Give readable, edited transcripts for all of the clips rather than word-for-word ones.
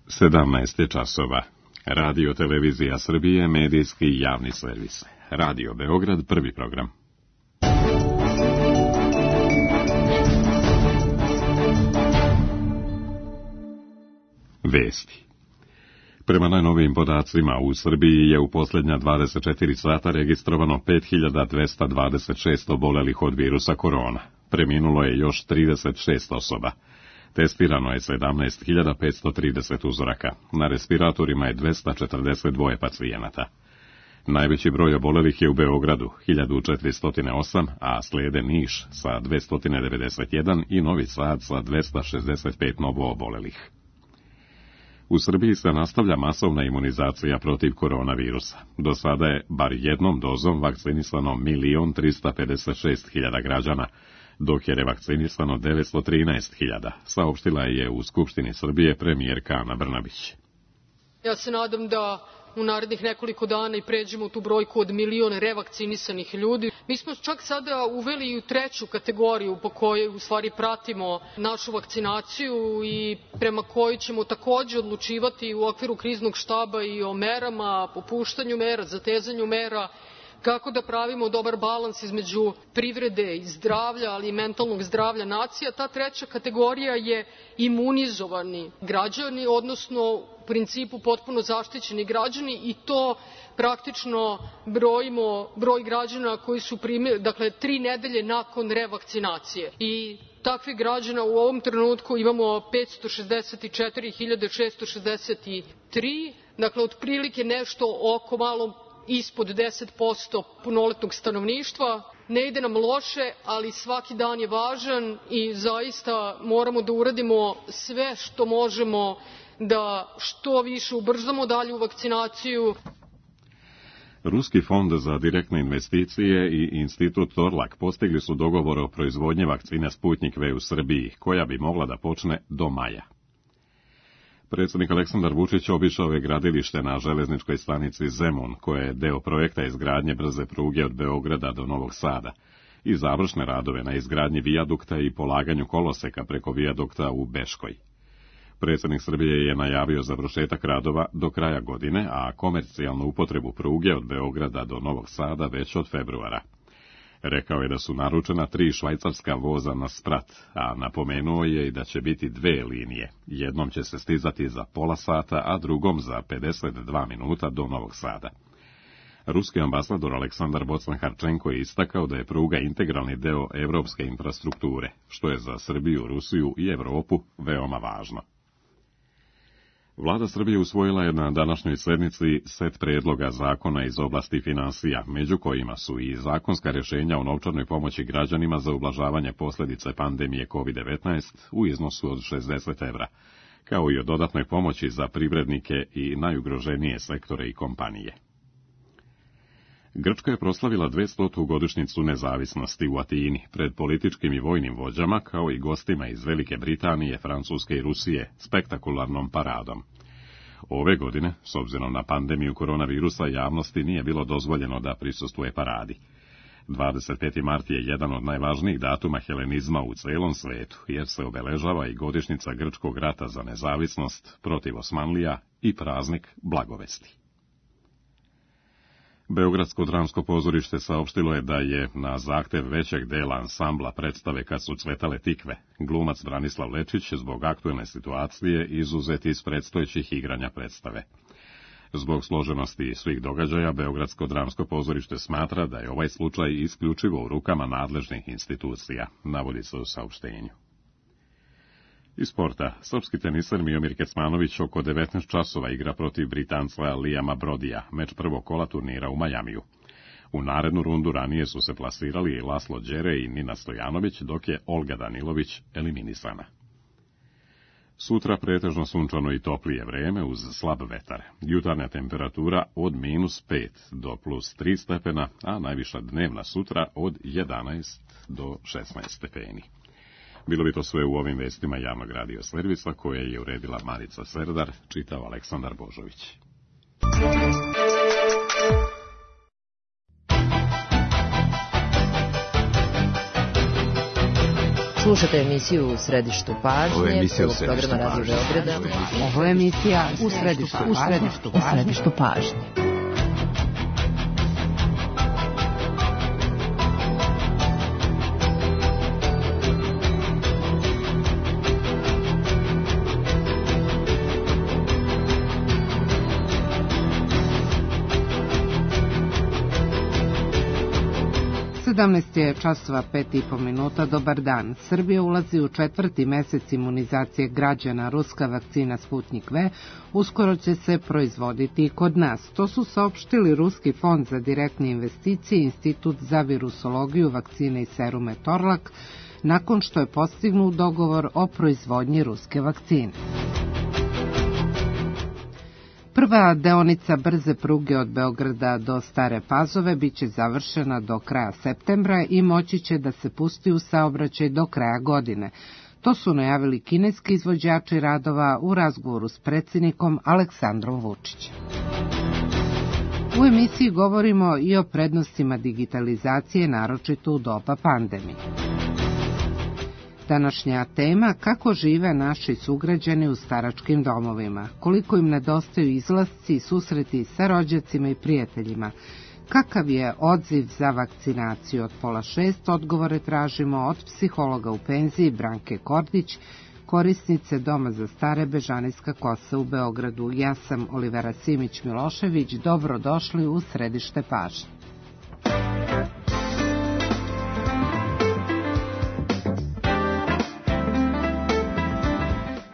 17 časova. Radio Televizija Srbije, medijski i javni servis. Radio Beograd, prvi program. Vesti. Prema najnovijim podacima, u Srbiji je u posljednja 24 sata registrovano 5226 obolelih od virusa korona. Preminulo je još 36 osoba. Testirano je 17.530 uzoraka. Na respiratorima je 242 pacijenata. Najveći broj obolelih je u Beogradu, 1408, a slijede Niš sa 291 i Novi Sad sa 265 novo obolelih. U Srbiji se nastavlja masovna imunizacija protiv koronavirusa. Do sada je bar jednom dozom vakcinisano 1.356.000 građana, dok je revakcinisano 913.000, saopštila je u Skupštini Srbije premijerka Ana Brnabić. Ja se nadam da u narednih nekoliko dana i pređemo tu brojku od 1.000.000 revakcinisanih ljudi. Mi smo čak sada uveli i u treću kategoriju po kojoj u stvari pratimo našu vakcinaciju i prema kojoj ćemo takođe odlučivati u okviru kriznog štaba i o merama, popuštanju mera, zatezanju mera, kako da pravimo dobar balans između privrede i zdravlja, ali i mentalnog zdravlja nacija. Ta treća kategorija je imunizovani građani, odnosno u principu potpuno zaštićeni građani, i to praktično brojimo broj građana koji su primili, dakle 3 nedelje nakon revakcinacije. I takvih građana u ovom trenutku imamo 564.663, dakle otprilike nešto oko malo ispod 10% punoletnog stanovništva. Ne ide nam loše, ali svaki dan je važan i zaista moramo da uradimo sve što možemo da što više ubrzamo dalju vakcinaciju. Ruski fond za direktne investicije i institut Torlak postigli su dogovor o proizvodnji vakcine Sputnik V u Srbiji, koja bi mogla da počne do maja. Predsjednik Aleksandar Vučić obišao je gradilište na železničkoj stanici Zemun, koje je deo projekta izgradnje brze pruge od Beograda do Novog Sada, i završne radove na izgradnji vijadukta i polaganju koloseka preko vijadukta u Beškoj. Predsjednik Srbije je najavio završetak radova do kraja godine, a komercijalnu upotrebu pruge od Beograda do Novog Sada već od februara. Rekao je da su naručena 3 švajcarska voza na sprat, a napomenuo je i da će biti 2 linije. Jednom će se stizati za pola sata, a drugom za 52 minuta do Novog Sada. Ruski ambasador Aleksandar Bocan-Harčenko je istakao da je pruga integralni deo evropske infrastrukture, što je za Srbiju, Rusiju i Evropu veoma važno. Vlada Srbije usvojila je na današnjoj sednici set predloga zakona iz oblasti finansija, među kojima su i zakonska rješenja o novčanoj pomoći građanima za ublažavanje posljedice pandemije COVID-19 u iznosu od 60 evra, kao i o dodatnoj pomoći za privrednike i najugroženije sektore i kompanije. Grčka je proslavila 200. godišnjicu nezavisnosti u Atini pred političkim i vojnim vođama, kao i gostima iz Velike Britanije, Francuske i Rusije, spektakularnom paradom. Ove godine, s obzirom na pandemiju koronavirusa, javnosti nije bilo dozvoljeno da prisustvuje paradi. 25. mart je jedan od najvažnijih datuma helenizma u celom svetu, jer se obeležava i godišnjica Grčkog rata za nezavisnost protiv Osmanlija i praznik Blagovesti. Beogradsko dramsko pozorište saopštilo je da je na zahtev većeg dela ansambla predstave Kad su cvetale tikve, glumac Branislav Lečić zbog aktuelne situacije izuzet iz predstojećih igranja predstave. Zbog složenosti svih događaja, Beogradsko dramsko pozorište smatra da je ovaj slučaj isključivo u rukama nadležnih institucija, navodi se u saopštenju. Iz sporta, srpski teniser Miomir Kecmanović oko 19 časova igra protiv Britanca Liama Brodija, meč prvog kola turnira u Majamiju. U narednu rundu ranije su se plasirali Laslo Đere i Nina Stojanović, dok je Olga Danilović eliminisana. Sutra pretežno sunčano i toplije vreme uz slab vetar. Jutarnja temperatura od -5 do +3 stepena, a najviša dnevna sutra od 11 do 16 stepeni. Bilo bi to sve u ovim vestima javnog radio servisa koje je uredila Marica Serdar, čitao Aleksandar Božović. Slušate emisiju U središtu pažnje, prvog programa Radio Beograda. Ovo je emisija U središtu pažnje. Je časova 5:30. Dobar dan. Srbija ulazi u 4. mesec imunizacije građana. Ruska vakcina Sputnik V uskoro će se proizvoditi i kod nas. To su saopštili Ruski fond za direktne investicije i Institut za virusologiju vakcine i serume Torlak nakon što je postignut dogovor o proizvodnji ruske vakcine. Prva deonica brze pruge od Beograda do Stare Pazove biće završena do kraja septembra i moći će da se pusti u saobraćaj do kraja godine. To su najavili kineski izvođači radova u razgovoru s predsjednikom Aleksandrom Vučićem. U emisiji govorimo i o prednostima digitalizacije, naročito u doba pandemije. Današnja tema: kako žive naši sugrađani u staračkim domovima, koliko im nedostaju izlasci i susreti sa rođacima i prijateljima, kakav je odziv za vakcinaciju. Od 5:30 odgovore tražimo od psihologa u penziji Branke Kordić, korisnice Doma za stare Bežanijska Kosa u Beogradu. Ja sam Olivera Simić-Milošević, dobrodošli u središte pažnje.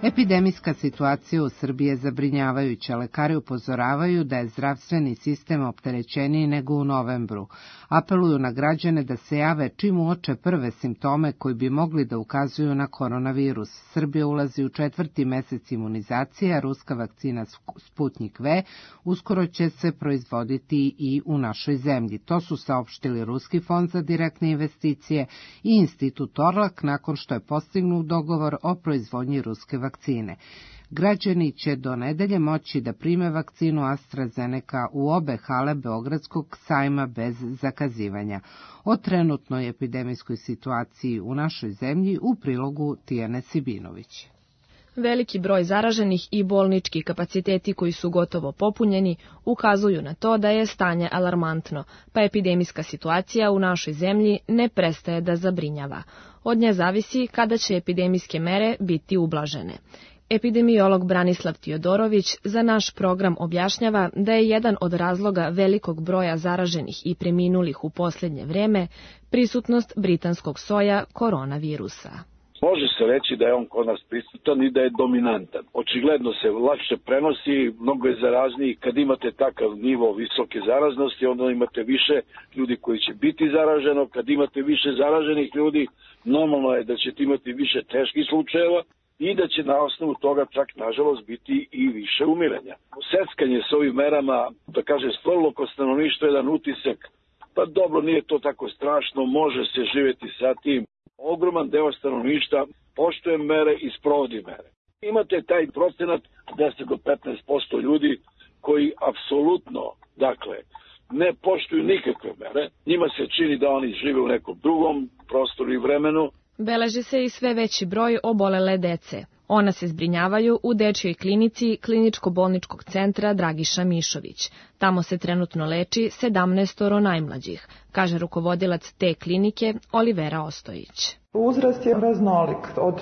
Epidemijska situacija u Srbiji je zabrinjavajuća. Lekari upozoravaju da je zdravstveni sistem opterećeniji nego u novembru. Apeluju na građane da se jave čim uoče prve simptome koji bi mogli da ukazuju na koronavirus. Srbija ulazi u 4. mesec imunizacije, a ruska vakcina Sputnik V uskoro će se proizvoditi i u našoj zemlji. To su saopštili Ruski fond za direktne investicije i Institut Torlak nakon što je postignut dogovor o proizvodnji ruske vakcine. Građani će do nedelje moći da prime vakcinu AstraZeneca u obe hale Beogradskog sajma bez zakazivanja. O trenutnoj epidemijskoj situaciji u našoj zemlji u prilogu Tijane Sibinović. Veliki broj zaraženih i bolnički kapaciteti koji su gotovo popunjeni ukazuju na to da je stanje alarmantno, pa epidemijska situacija u našoj zemlji ne prestaje da zabrinjava. Od nje zavisi kada će epidemijske mere biti ublažene. Epidemiolog Branislav Tijodorović za naš program objašnjava da je jedan od razloga velikog broja zaraženih i preminulih u posljednje vrijeme prisutnost britanskog soja koronavirusa. Može se reći da je on kod nas prisutan i da je dominantan. Očigledno se lakše prenosi, mnogo je zarazniji. Kad imate takav nivo visoke zaraznosti, onda imate više ljudi koji će biti zaraženo. Kad imate više zaraženih ljudi, normalno je da ćete imati više teških slučajeva i da će na osnovu toga čak nažalost biti i više umiranja. Seckanje s ovim merama, da kaže, stvorilo kod stanovništva jedan utisak, pa dobro, nije to tako strašno, može se živjeti sa tim. Ogroman deo stanovništva poštuje mere i sprovodi mere. Imate taj procenat 10 do 15% ljudi koji apsolutno, dakle, ne poštuju nikakve mere. Njima se čini da oni žive u nekom drugom prostoru i vremenu. Beleži se i sve veći broj obolele dece. Ona se zbrinjavaju u dečjoj klinici Kliničko-bolničkog centra Dragiša Mišović. Tamo se trenutno leči 17 najmlađih, kaže rukovodilac te klinike Olivera Ostojić. Uzrast je raznolik, od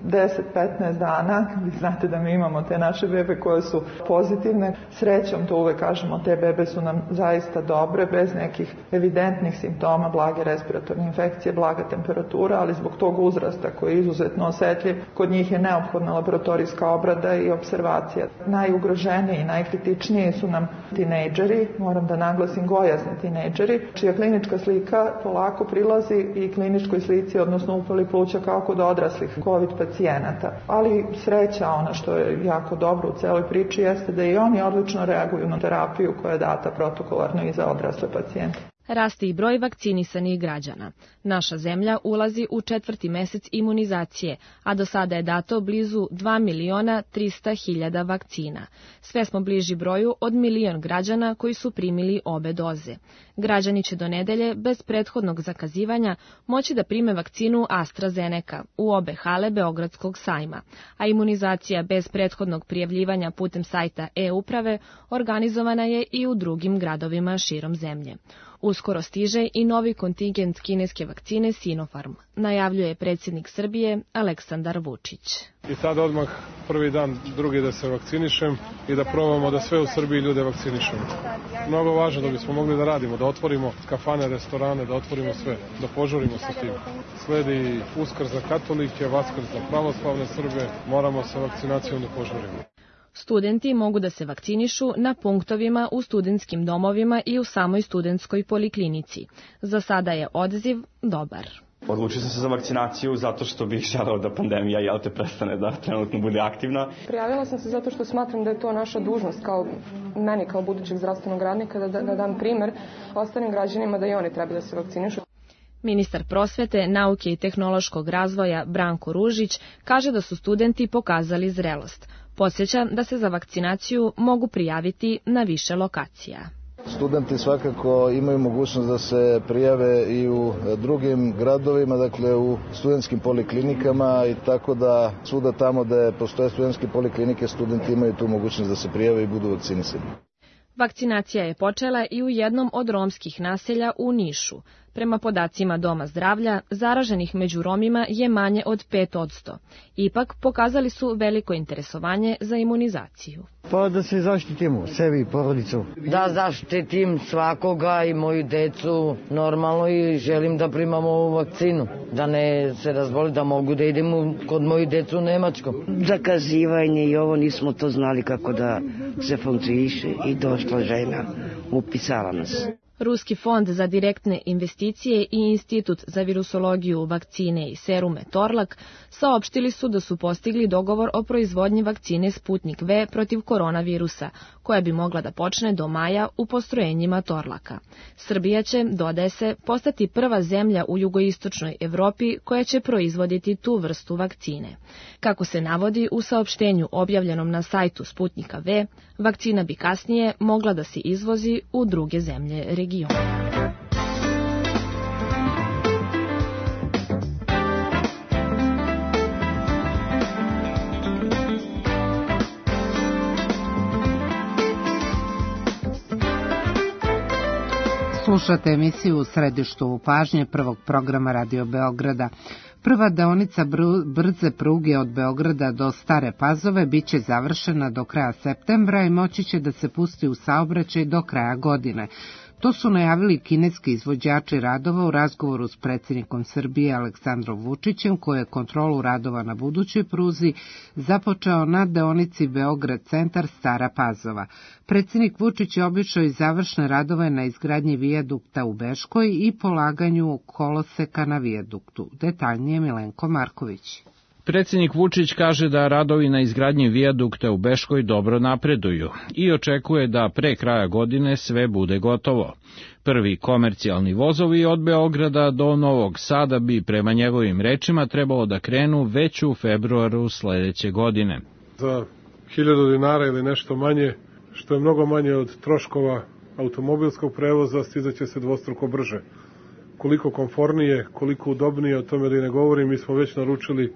10-15 dana, vi znate da mi imamo te naše bebe koje su pozitivne, srećom to uvek kažemo, te bebe su nam zaista dobre, bez nekih evidentnih simptoma, blage respiratorne infekcije, blaga temperatura, ali zbog tog uzrasta koji je izuzetno osetljiv, kod njih je neophodna laboratorijska obrada i observacija. Najugroženiji i najkritičniji su nam tinejdžeri, moram da naglasim gojazni tinejdžeri, čija klinička slika polako prilazi i kliničkoj slici, odnosno upali pluća kao kod odraslih COVID pacijenata. Ali sreća, ono što je jako dobro u celoj priči, jeste da i oni odlično reaguju na terapiju koja je data protokolarno i za odrasle pacijente. Raste i broj vakcinisanih građana. Naša zemlja ulazi u 4. mesec imunizacije, a do sada je dato blizu 2.300.000 vakcina. Sve smo bliži broju od 1 milion građana koji su primili obe doze. Građani će do nedelje, bez prethodnog zakazivanja, moći da prime vakcinu AstraZeneca u obe hale Beogradskog sajma, a imunizacija bez prethodnog prijavljivanja putem sajta e-uprave organizovana je i u drugim gradovima širom zemlje. Uskoro stiže i novi kontingent kineske vakcine Sinopharm, najavljuje predsjednik Srbije Aleksandar Vučić. I sad odmah prvi dan, drugi da se vakcinišem i da probamo da sve u Srbiji ljude vakcinišemo. Mnogo važno da bismo mogli da radimo, da otvorimo kafane, restorane, da otvorimo sve, da požurimo sa tim. Sledi Uskrs za katolike, Vaskrs za pravoslavne Srbe, moramo sa vakcinacijom da požurimo. Studenti mogu da se vakcinišu na punktovima u studentskim domovima i u samoj studentskoj poliklinici. Za sada je odaziv dobar. Odlučio sam se za vakcinaciju zato što bih želeo da pandemija prestane da trenutno bude aktivna. Prijavila sam se zato što smatram da je to naša dužnost meni kao budućeg zdravstvenog radnika da dam primer ostalim građanima da i oni treba da se vakcinišu. Ministar prosvete, nauke i tehnološkog razvoja Branko Ružić kaže da su studenti pokazali zrelost. Podsjeća da se za vakcinaciju mogu prijaviti na više lokacija. Studenti svakako imaju mogućnost da se prijave i u drugim gradovima, dakle u studentskim poliklinikama i tako da svuda tamo gde postoje studentske poliklinike studenti imaju tu mogućnost da se prijave i budu vakcinisani. Vakcinacija je počela i u jednom od romskih naselja u Nišu. Prema podacima Doma zdravlja, zaraženih među Romima je manje od 5%. Ipak, pokazali su veliko interesovanje za imunizaciju. Pa da se zaštitimo, sebi i porodicu. Da zaštitim svakoga i moju decu normalno i želim da primam ovu vakcinu. Da ne se razboli, da mogu da idem kod moju decu u Nemačku. Zakazivanje i ovo nismo to znali kako da se funkcioniše i došla žena, upisala nas. Ruski fond za direktne investicije i Institut za virusologiju, vakcine i serume Torlak saopštili su da su postigli dogovor o proizvodnji vakcine Sputnik V protiv koronavirusa, koja bi mogla da počne do maja u postrojenjima Torlaka. Srbija će, dodaje se, postati prva zemlja u jugoistočnoj Evropi koja će proizvoditi tu vrstu vakcine. Kako se navodi u saopštenju objavljenom na sajtu Sputnika V, vakcina bi kasnije mogla da se izvozi u druge zemlje regiona. Slušate emisiju u središtu pažnje prvog programa Radio Beograda. Prva deonica brze pruge od Beograda do Stare Pazove biće završena do kraja septembra i moći će da se pusti u saobraćaj do kraja godine. To su najavili kineski izvođači radova u razgovoru s predsjednikom Srbije Aleksandrom Vučićem, koji je kontrolu radova na budućoj pruzi započeo na deonici Beograd centar Stara Pazova. Predsjednik Vučić je obišao i završne radove na izgradnji vijadukta u Beškoj i polaganju koloseka na vijaduktu. Detaljnije Milenko Marković. Predsjednik Vučić kaže da radovi na izgradnji vijadukta u Beškoj dobro napreduju i očekuje da pre kraja godine sve bude gotovo. Prvi komercijalni vozovi od Beograda do Novog Sada bi prema njegovim rečima trebalo da krenu već u februaru sledeće godine. Za 1000 dinara ili nešto manje, što je mnogo manje od troškova automobilskog prevoza, stizaće se dvostruko brže. Koliko komfornije, koliko udobnije, o tome da i ne govorim, mi smo već naručili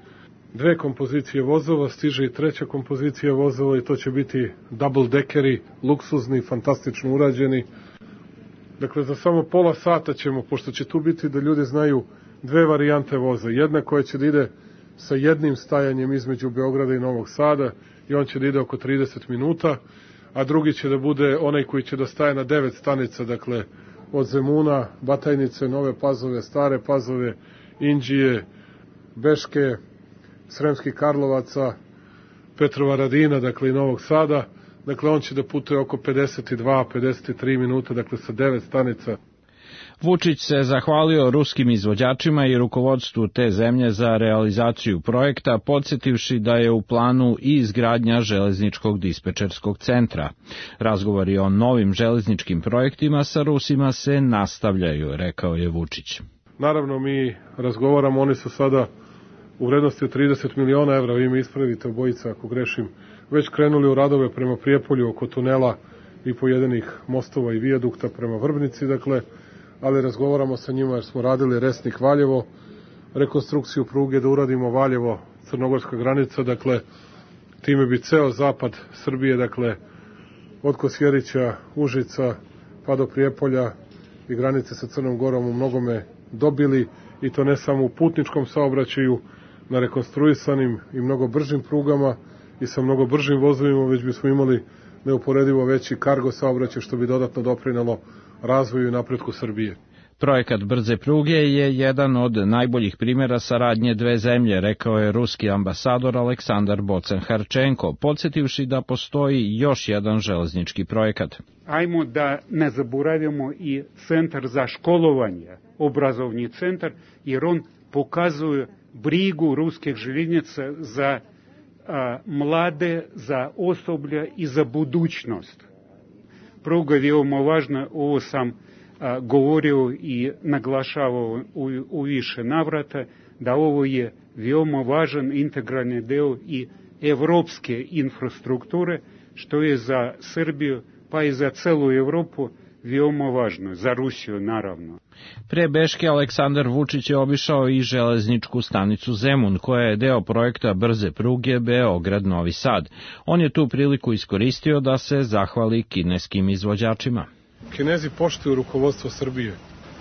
2 kompozicije vozova, stiže i 3. kompozicija vozova i to će biti double deckeri, luksuzni, fantastično urađeni. Dakle, za samo pola sata ćemo, pošto će tu biti da ljudi znaju 2 varijante voza. Jedna koja će da ide sa jednim stajanjem između Beograda i Novog Sada i on će da ide oko 30 minuta, a drugi će da bude onaj koji će da staje na 9 stanica, dakle, od Zemuna, Batajnice, Nove Pazove, Stare Pazove, Inđije, Beške, Sremskih Karlovaca, Petrovaradina, dakle i Novog Sada. Dakle, on će da putuje oko 52-53 minuta, dakle sa 9 stanica. Vučić se zahvalio ruskim izvođačima i rukovodstvu te zemlje za realizaciju projekta, podsjetivši da je u planu i izgradnja železničkog dispečerskog centra. Razgovori o novim železničkim projektima sa Rusima se nastavljaju, rekao je Vučić. Naravno, mi razgovaramo, oni su sada u vrednosti od 30 miliona evra, vi me ispravite obojica ako grešim, već krenuli u radove prema Prijepolju oko tunela i pojedinih mostova i vijadukta prema Vrbnici, dakle, ali razgovaramo sa njima jer smo radili Resnik Valjevo, rekonstrukciju pruge da uradimo Valjevo, crnogorska granica, dakle, time bi ceo zapad Srbije, dakle, od Kosjerića, Užica, pa do Prijepolja i granice sa Crnom Gorom u mnogome dobili, i to ne samo u putničkom saobraćaju, na rekonstruisanim i mnogo bržim prugama i sa mnogo bržim vozovima, već bismo imali neuporedivo veći kargo saobraćaj, što bi dodatno doprinelo razvoju i napretku Srbije. Projekat brze pruge je jedan od najboljih primjera saradnje dve zemlje, rekao je ruski ambasador Aleksandar Bocan-Harčenko, podsjetivši da postoji još jedan železnički projekat. Ajmo da ne zaboravimo i centar za školovanje, obrazovni centar, jer on pokazuje brigu ruskih željeznica za mlade, za osoblje i za budućnost. Pruga je veoma važna, ovo sam govorio i naglašavao u više navrata, da ovo je veoma važan integralni deo i evropske infrastrukture, što je za Srbiju pa i za celu Evropu veoma važno, za Rusiju naravno. Pre Beške Aleksandar Vučić je obišao i železničku stanicu Zemun, koja je deo projekta brze pruge Beograd-Novi Sad. On je tu priliku iskoristio da se zahvali kineskim izvođačima. Kinezi poštuju rukovodstvo Srbije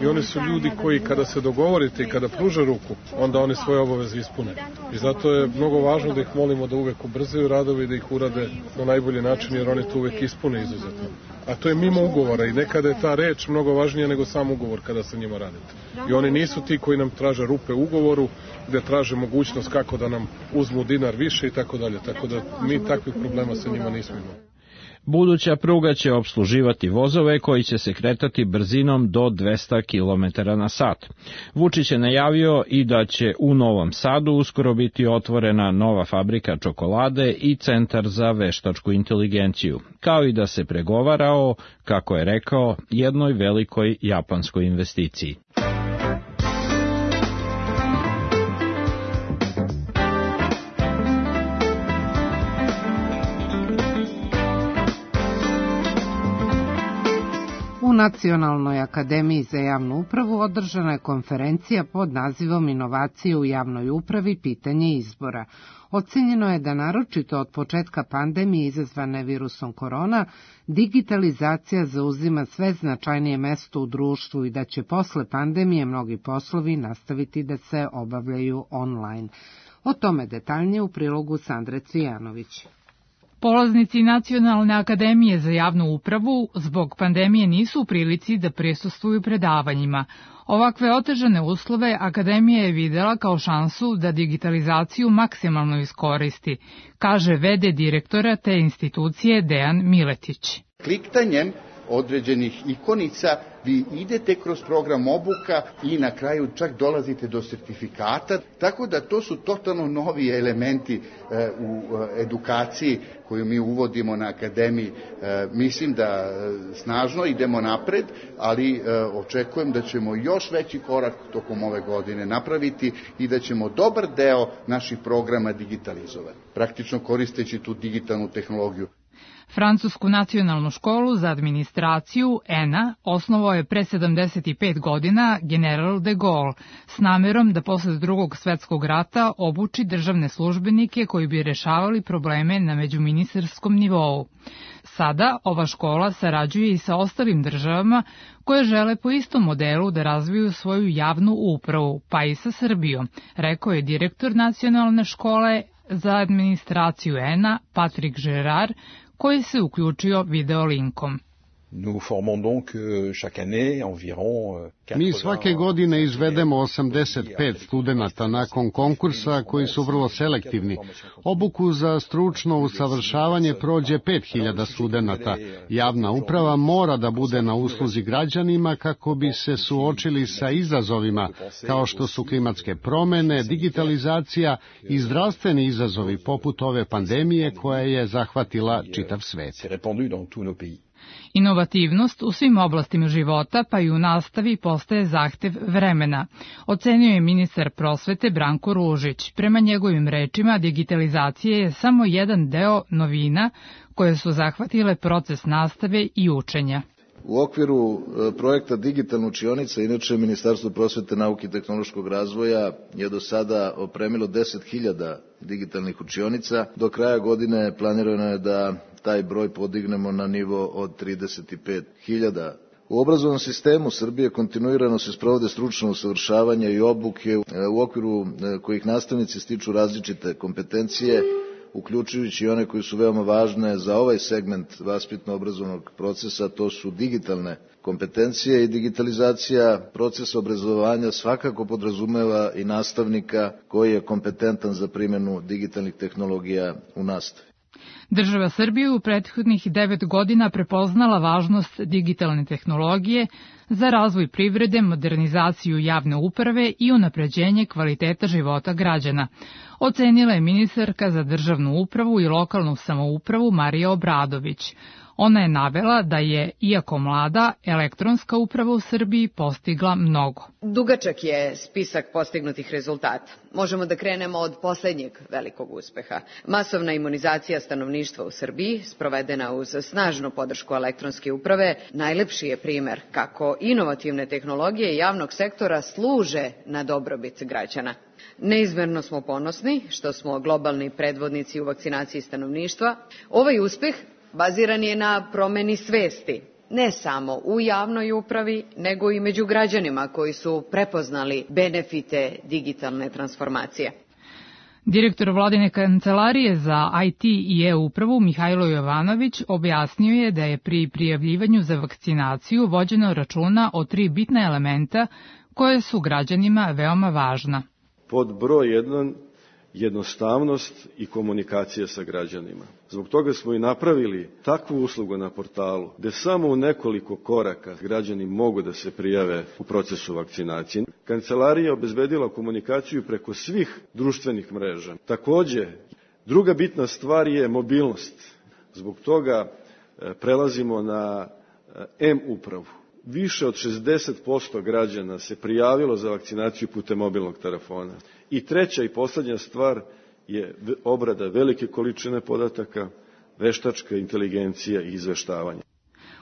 i oni su ljudi koji kada se dogovorite i kada pruže ruku, onda oni svoje obaveze ispune. I zato je mnogo važno da ih molimo da uvek ubrzaju radove i da ih urade na najbolji način, jer oni to uvek ispune izuzetno. A to je mimo ugovora i nekada je ta reč mnogo važnija nego sam ugovor kada sa njima radite. I oni nisu ti koji nam traže rupe u ugovoru, gde traže mogućnost kako da nam uzmu dinar više i tako dalje. Tako da mi takvih problema sa njima nismo imali. Buduća pruga će opsluživati vozove koji će se kretati brzinom do 200 km na sat. Vučić je najavio i da će u Novom Sadu uskoro biti otvorena nova fabrika čokolade i centar za veštačku inteligenciju, kao i da se pregovara o, kako je rekao, jednoj velikoj japanskoj investiciji. U Nacionalnoj akademiji za javnu upravu održana je konferencija pod nazivom Inovacije u javnoj upravi, pitanje izbora. Ocenjeno je da naročito od početka pandemije izazvane virusom korona, digitalizacija zauzima sve značajnije mesto u društvu i da će posle pandemije mnogi poslovi nastaviti da se obavljaju online. O tome detaljnije u prilogu Sandre Cvijanović. Polaznici Nacionalne akademije za javnu upravu zbog pandemije nisu u prilici da prisustvuju predavanjima. Ovakve otežane uslove akademija je videla kao šansu da digitalizaciju maksimalno iskoristi, kaže v.d. direktora te institucije Dejan Miletić. Kliktanjem određenih ikonica vi idete kroz program obuka i na kraju čak dolazite do sertifikata, tako da to su totalno novi elementi u edukaciji koju mi uvodimo na akademiji. Mislim da snažno idemo napred, ali očekujem da ćemo još veći korak tokom ove godine napraviti i da ćemo dobar deo naših programa digitalizovati, praktično koristeći tu digitalnu tehnologiju. Francusku nacionalnu školu za administraciju ENA osnovao je pre 75 godina general de Gaulle s namerom da posle Drugog svetskog rata obuči državne službenike koji bi rešavali probleme na međuministarskom nivou. Sada ova škola sarađuje i sa ostalim državama koje žele po istom modelu da razviju svoju javnu upravu, pa i sa Srbijom, rekao je direktor nacionalne škole za administraciju ENA Patrik Žerar, koji se uključio video linkom. Mi svake godine izvedemo 85 studenata nakon konkursa koji su vrlo selektivni. Obuku za stručno usavršavanje prođe 5000 studenata. Javna uprava mora da bude na usluzi građanima kako bi se suočili sa izazovima kao što su klimatske promene, digitalizacija i zdravstveni izazovi poput ove pandemije koja je zahvatila čitav svet. Inovativnost u svim oblastima života, pa i u nastavi, postaje zahtev vremena, ocenio je ministar prosvete Branko Ružić. Prema njegovim rečima, digitalizacija je samo jedan deo novina koje su zahvatile proces nastave i učenja. U okviru projekta Digitalna učionica, inače Ministarstvo prosvete, nauke i tehnološkog razvoja je do sada opremilo 10.000 digitalnih učionica. Do kraja godine planirano je da taj broj podignemo na nivo od 35.000. U obrazovnom sistemu Srbije kontinuirano se sprovode stručno usavršavanje i obuke u okviru kojih nastavnici stiču različite kompetencije, uključujući i one koje su veoma važne za ovaj segment vaspitno-obrazovnog procesa, to su digitalne kompetencije i digitalizacija procesa obrazovanja svakako podrazumeva i nastavnika koji je kompetentan za primjenu digitalnih tehnologija u nastavi. Država Srbije u prethodnih 9 godina prepoznala važnost digitalne tehnologije za razvoj privrede, modernizaciju javne uprave i unapređenje kvaliteta života građana, ocenila je ministarka za državnu upravu i lokalnu samoupravu Marija Obradović. Ona je navela da je, iako mlada, elektronska uprava u Srbiji postigla mnogo. Dugačak je spisak postignutih rezultata. Možemo da krenemo od poslednjeg velikog uspeha. Masovna imunizacija stanovništva u Srbiji, sprovedena uz snažnu podršku elektronske uprave, najlepši je primer kako inovativne tehnologije javnog sektora služe na dobrobit građana. Neizmerno smo ponosni što smo globalni predvodnici u vakcinaciji stanovništva. Ovaj uspeh baziran je na promeni svesti, ne samo u javnoj upravi, nego i među građanima koji su prepoznali benefite digitalne transformacije. Direktor Vladine kancelarije za IT i e-upravu Mihajlo Jovanović objasnio je da je pri prijavljivanju za vakcinaciju vođeno računa o 3 bitna elementa koje su građanima veoma važna. Pod broj 1, jednostavnost i komunikacija sa građanima. Zbog toga smo i napravili takvu uslugu na portalu, gde samo u nekoliko koraka građani mogu da se prijave u procesu vakcinacije. Kancelarija je obezbedila komunikaciju preko svih društvenih mreža. Takođe, druga bitna stvar je mobilnost. Zbog toga prelazimo na M-upravu. Više od 60% građana se prijavilo za vakcinaciju putem mobilnog telefona. I treća i poslednja stvar je obrada velike količine podataka, veštačka inteligencija i izveštavanje.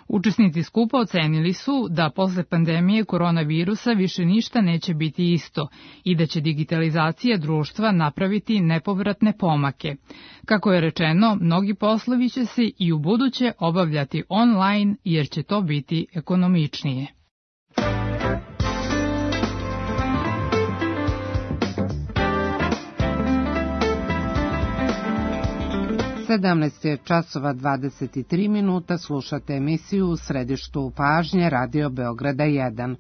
Učesnici skupa ocenili su da posle pandemije koronavirusa više ništa neće biti isto i da će digitalizacija društva napraviti nepovratne pomake. Kako je rečeno, mnogi poslovi će se i u buduće obavljati online jer će to biti ekonomičnije. 17 časova 23 minuta, slušate emisiju U središtu pažnje Radio Beograda 1.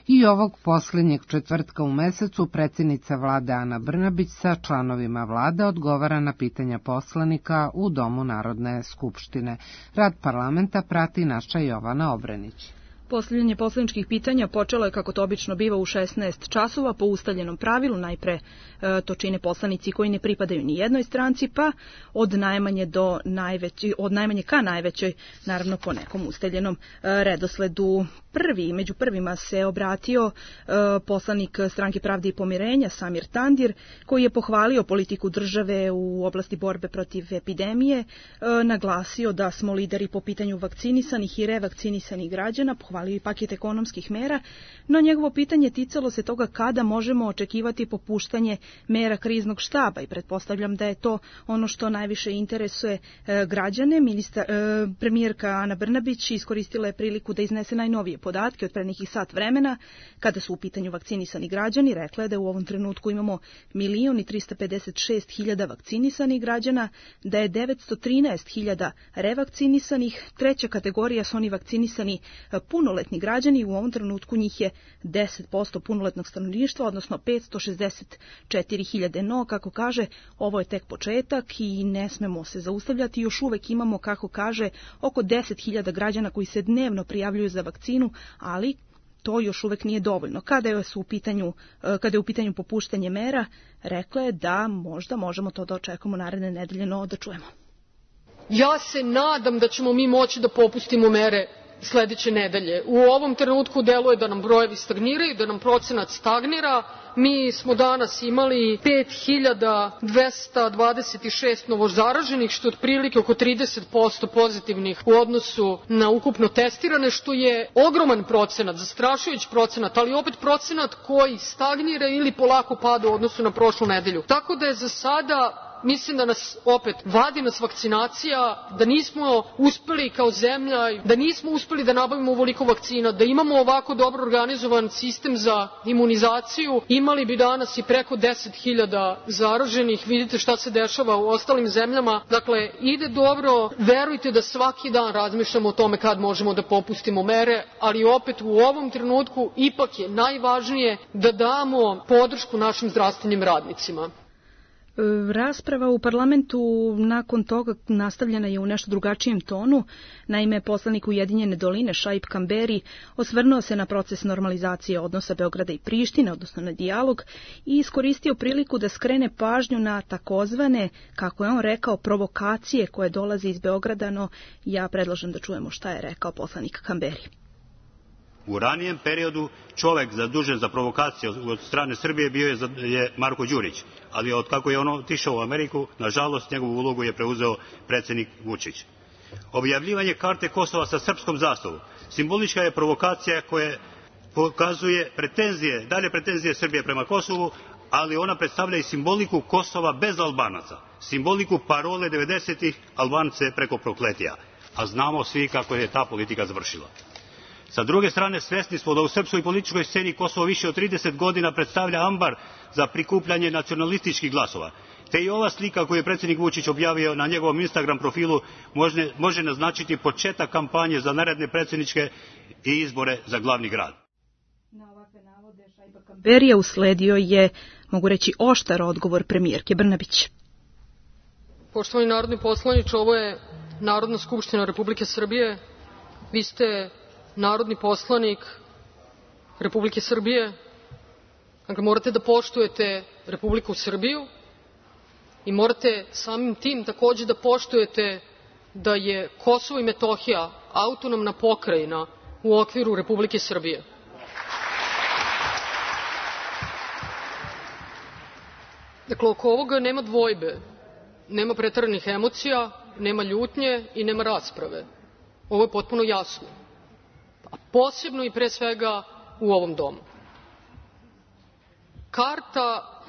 I ovog posljednjeg četvrtka u mesecu predsjednica vlade Ana Brnabić sa članovima vlade odgovara na pitanja poslanika u Domu Narodne skupštine. Rad parlamenta prati naša Jovana Obrenić. Postavljanje poslaničkih pitanja počelo je, kako to obično biva, u 16 časova po ustaljenom pravilu. Najpre to čine poslanici koji ne pripadaju ni jednoj stranci, pa od najmanje ka najvećoj, naravno po nekom ustaljenom redosledu. Među prvima se obratio poslanik Stranke pravde i pomirenja Samir Tandir, koji je pohvalio politiku države u oblasti borbe protiv epidemije, naglasio da smo lideri po pitanju vakcinisanih i revakcinisanih građana, pohvalio i paket ekonomskih mera, no njegovo pitanje ticalo se toga kada možemo očekivati popuštanje mera kriznog štaba i pretpostavljam da je to ono što najviše interesuje građane. Premijerka Ana Brnabić iskoristila je priliku da iznese najnovije podatke od pre nekih sat vremena. Kada su u pitanju vakcinisani građani, rekla je da u ovom trenutku imamo 1.356.000 vakcinisanih građana, da je 913.000 revakcinisanih. Treća kategorija su oni vakcinisani punoletni građani, u ovom trenutku njih je 10% punoletnog stanovništva, odnosno 564.000. No, kako kaže, ovo je tek početak i ne smemo se zaustavljati. Još uvek imamo, kako kaže, oko 10.000 građana koji se dnevno prijavljuju za vakcinu, ali to još uvek nije dovoljno. Kada je u pitanju popuštanje mera, rekla je da možda možemo to da očekujemo naredne nedelje, no da čujemo. Ja se nadam da ćemo mi moći da popustimo mere sledeće nedelje. U ovom trenutku deluje da nam brojevi stagniraju, da nam procenat stagnira. Mi smo danas imali 5.226 novozaraženih, što je otprilike oko 30% pozitivnih u odnosu na ukupno testirane, što je ogroman procenat, zastrašujući procenat, ali opet procenat koji stagnira ili polako pada u odnosu na prošlu nedelju. Tako da je za sada, mislim da nas opet vadi nas vakcinacija, da nismo uspeli kao zemlja, da nismo uspeli da nabavimo ovoliko vakcina, da imamo ovako dobro organizovan sistem za imunizaciju, imali bi danas i preko 10.000 zaraženih. Vidite šta se dešava u ostalim zemljama. Dakle, ide dobro, verujte da svaki dan razmišljamo o tome kad možemo da popustimo mere, ali opet u ovom trenutku ipak je najvažnije da damo podršku našim zdravstvenim radnicima. Rasprava u parlamentu nakon toga nastavljena je u nešto drugačijem tonu. Naime, poslanik Ujedinjene doline Šaip Kamberi osvrnuo se na proces normalizacije odnosa Beograda i Prištine, odnosno na dijalog, i iskoristio priliku da skrene pažnju na takozvane, kako je on rekao, provokacije koje dolaze iz Beograda, no ja predlažem da čujemo šta je rekao poslanik Kamberi. U ranijem periodu čovek zadužen za provokacije od strane Srbije bio je Marko Đurić, ali od kako je on otišao u Ameriku, nažalost njegovu ulogu je preuzeo predsednik Vučić. Objavljivanje karte Kosova sa srpskom zastavom simbolička je provokacija koja pokazuje dalje pretenzije Srbije prema Kosovu, ali ona predstavlja i simboliku Kosova bez Albanaca, simboliku parole 90-ih Albance preko prokletija, a znamo svi kako je ta politika završila. Sa druge strane, svesni smo da u srpskoj političkoj sceni Kosovo više od 30 godina predstavlja ambar za prikupljanje nacionalističkih glasova. Te i ova slika koju je predsednik Vučić objavio na njegovom Instagram profilu može naznačiti početak kampanje za naredne predsedničke i izbore za glavni grad. Na ovakve navode Šaipa Kamberija usledio je, mogu reći, oštar odgovor premijerke Brnabić. Poštovani narodni poslaniče, ovo je Narodna skupština Republike Srbije. Vi ste narodni poslanik Republike Srbije, dakle morate da poštujete Republiku Srbiju i morate samim tim takođe da poštujete da je Kosovo i Metohija autonomna pokrajina u okviru Republike Srbije. Dakle, oko ovoga nema dvojbe, nema preteranih emocija, nema ljutnje i nema rasprave. Ovo je potpuno jasno. Posebno i pre svega u ovom domu. Karta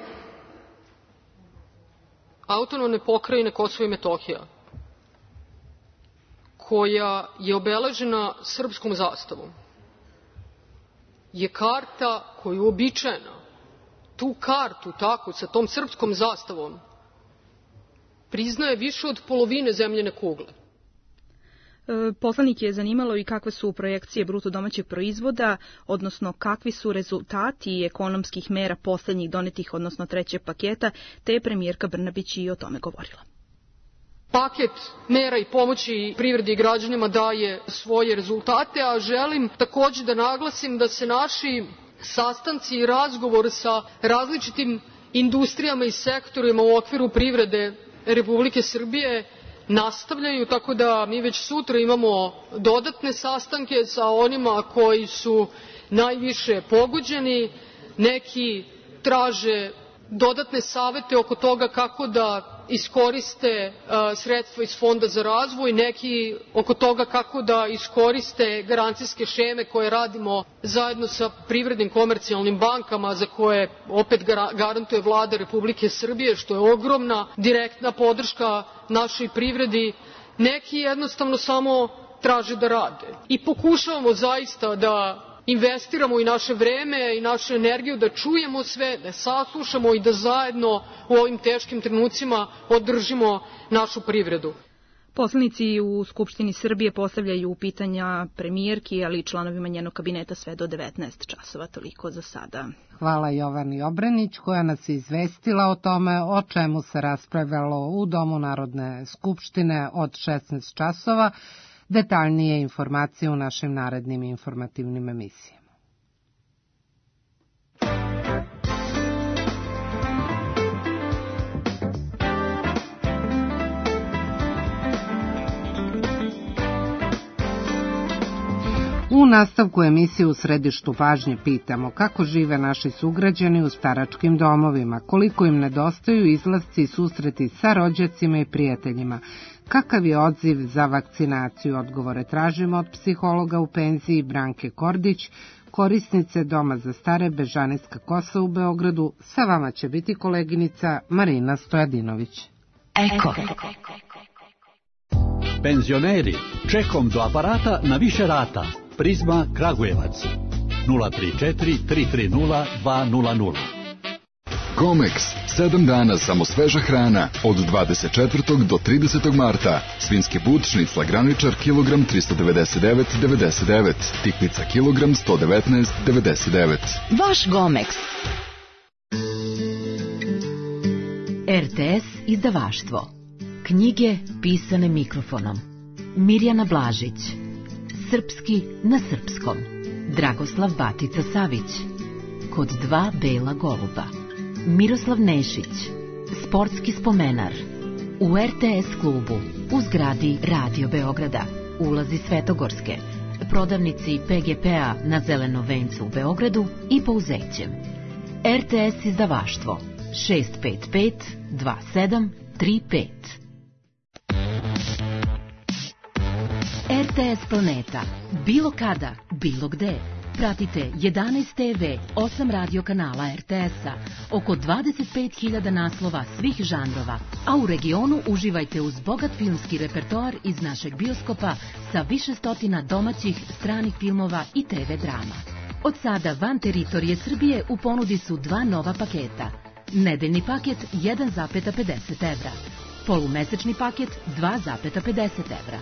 autonomne pokrajine Kosovo i Metohija, koja je obeležena srpskom zastavom, je karta koja je uobičajena. Tu kartu, tako, sa tom srpskom zastavom, priznaje više od polovine zemljine kugle. Poslanik je zanimalo i kakve su projekcije bruto domaćeg proizvoda, odnosno kakvi su rezultati ekonomskih mera poslednjih donetih, odnosno trećeg paketa, te je premijerka Brnabić i o tome govorila. Paket mera i pomoći privredi i građanima daje svoje rezultate, a želim takođe da naglasim da se naši sastanci i razgovor sa različitim industrijama i sektorima u okviru privrede Republike Srbije nastavljaju, tako da mi već sutra imamo dodatne sastanke sa onima koji su najviše pogođeni. Neki traže dodatne savete oko toga kako da iskoriste sredstva iz Fonda za razvoj, neki oko toga kako da iskoriste garancijske šeme koje radimo zajedno sa privrednim komercijalnim bankama, za koje opet garantuje Vlada Republike Srbije, što je ogromna direktna podrška našoj privredi. Neki jednostavno samo traže da rade. I pokušavamo zaista da investiramo i naše vreme i našu energiju, da čujemo sve, da saslušamo i da zajedno u ovim teškim trenucima održimo našu privredu. Poslanici u Skupštini Srbije postavljaju pitanja premijerki, ali i članovima njenog kabineta sve do 19 časova. Toliko za sada. Hvala Jovani Obrenić koja nas je izvestila o tome o čemu se raspravljalo u Domu Narodne skupštine od 16 časova. Detaljnije informacije u našim narednim informativnim emisijama. U nastavku emisije U središtu pažnje pitamo kako žive naši sugrađani u staračkim domovima, koliko im nedostaju izlasci i susreti sa rođacima i prijateljima, kakav je odziv za vakcinaciju. Odgovore tražimo od psihologa u penziji Branke Kordić, korisnice Doma za stare Bežanijska Kosa u Beogradu. Sa vama će biti koleginica Marina Stojadinović. Eko. Penzioneri, čekom do aparata na više rata. Prizma Kragujevac 034 330 200. Gomex, 7 dana samo sveža hrana, od 24. do 30. marta. Svinjski but, šnicla graničar, kilogram 399,99, tikvica kilogram 119,99. Vaš Gomex. RTS izdavaštvo. Knjige pisane mikrofonom. Mirjana Blažić. Srpski na srpskom. Dragoslav Batica Savić. Kod dva bela goluba. Miroslav Nešić. Sportski spomenar. U RTS klubu. U zgradi Radio Beograda. Ulazi Svetogorske. Prodavnici PGP-a na Zelenom vencu u Beogradu i Pouzećem. RTS izdavaštvo. 655 2735. RTS Planeta. Bilo kada, bilo gde. Pratite 11 TV, 8 radio kanala RTS-a, oko 25.000 naslova svih žanrova, a u regionu uživajte uz bogat filmski repertoar iz našeg bioskopa sa više stotina domaćih, stranih filmova i TV drama. Od sada van teritorije Srbije u ponudi su dva nova paketa. Nedeljni paket 1,50 evra. Polumesečni paket 2,50 evra.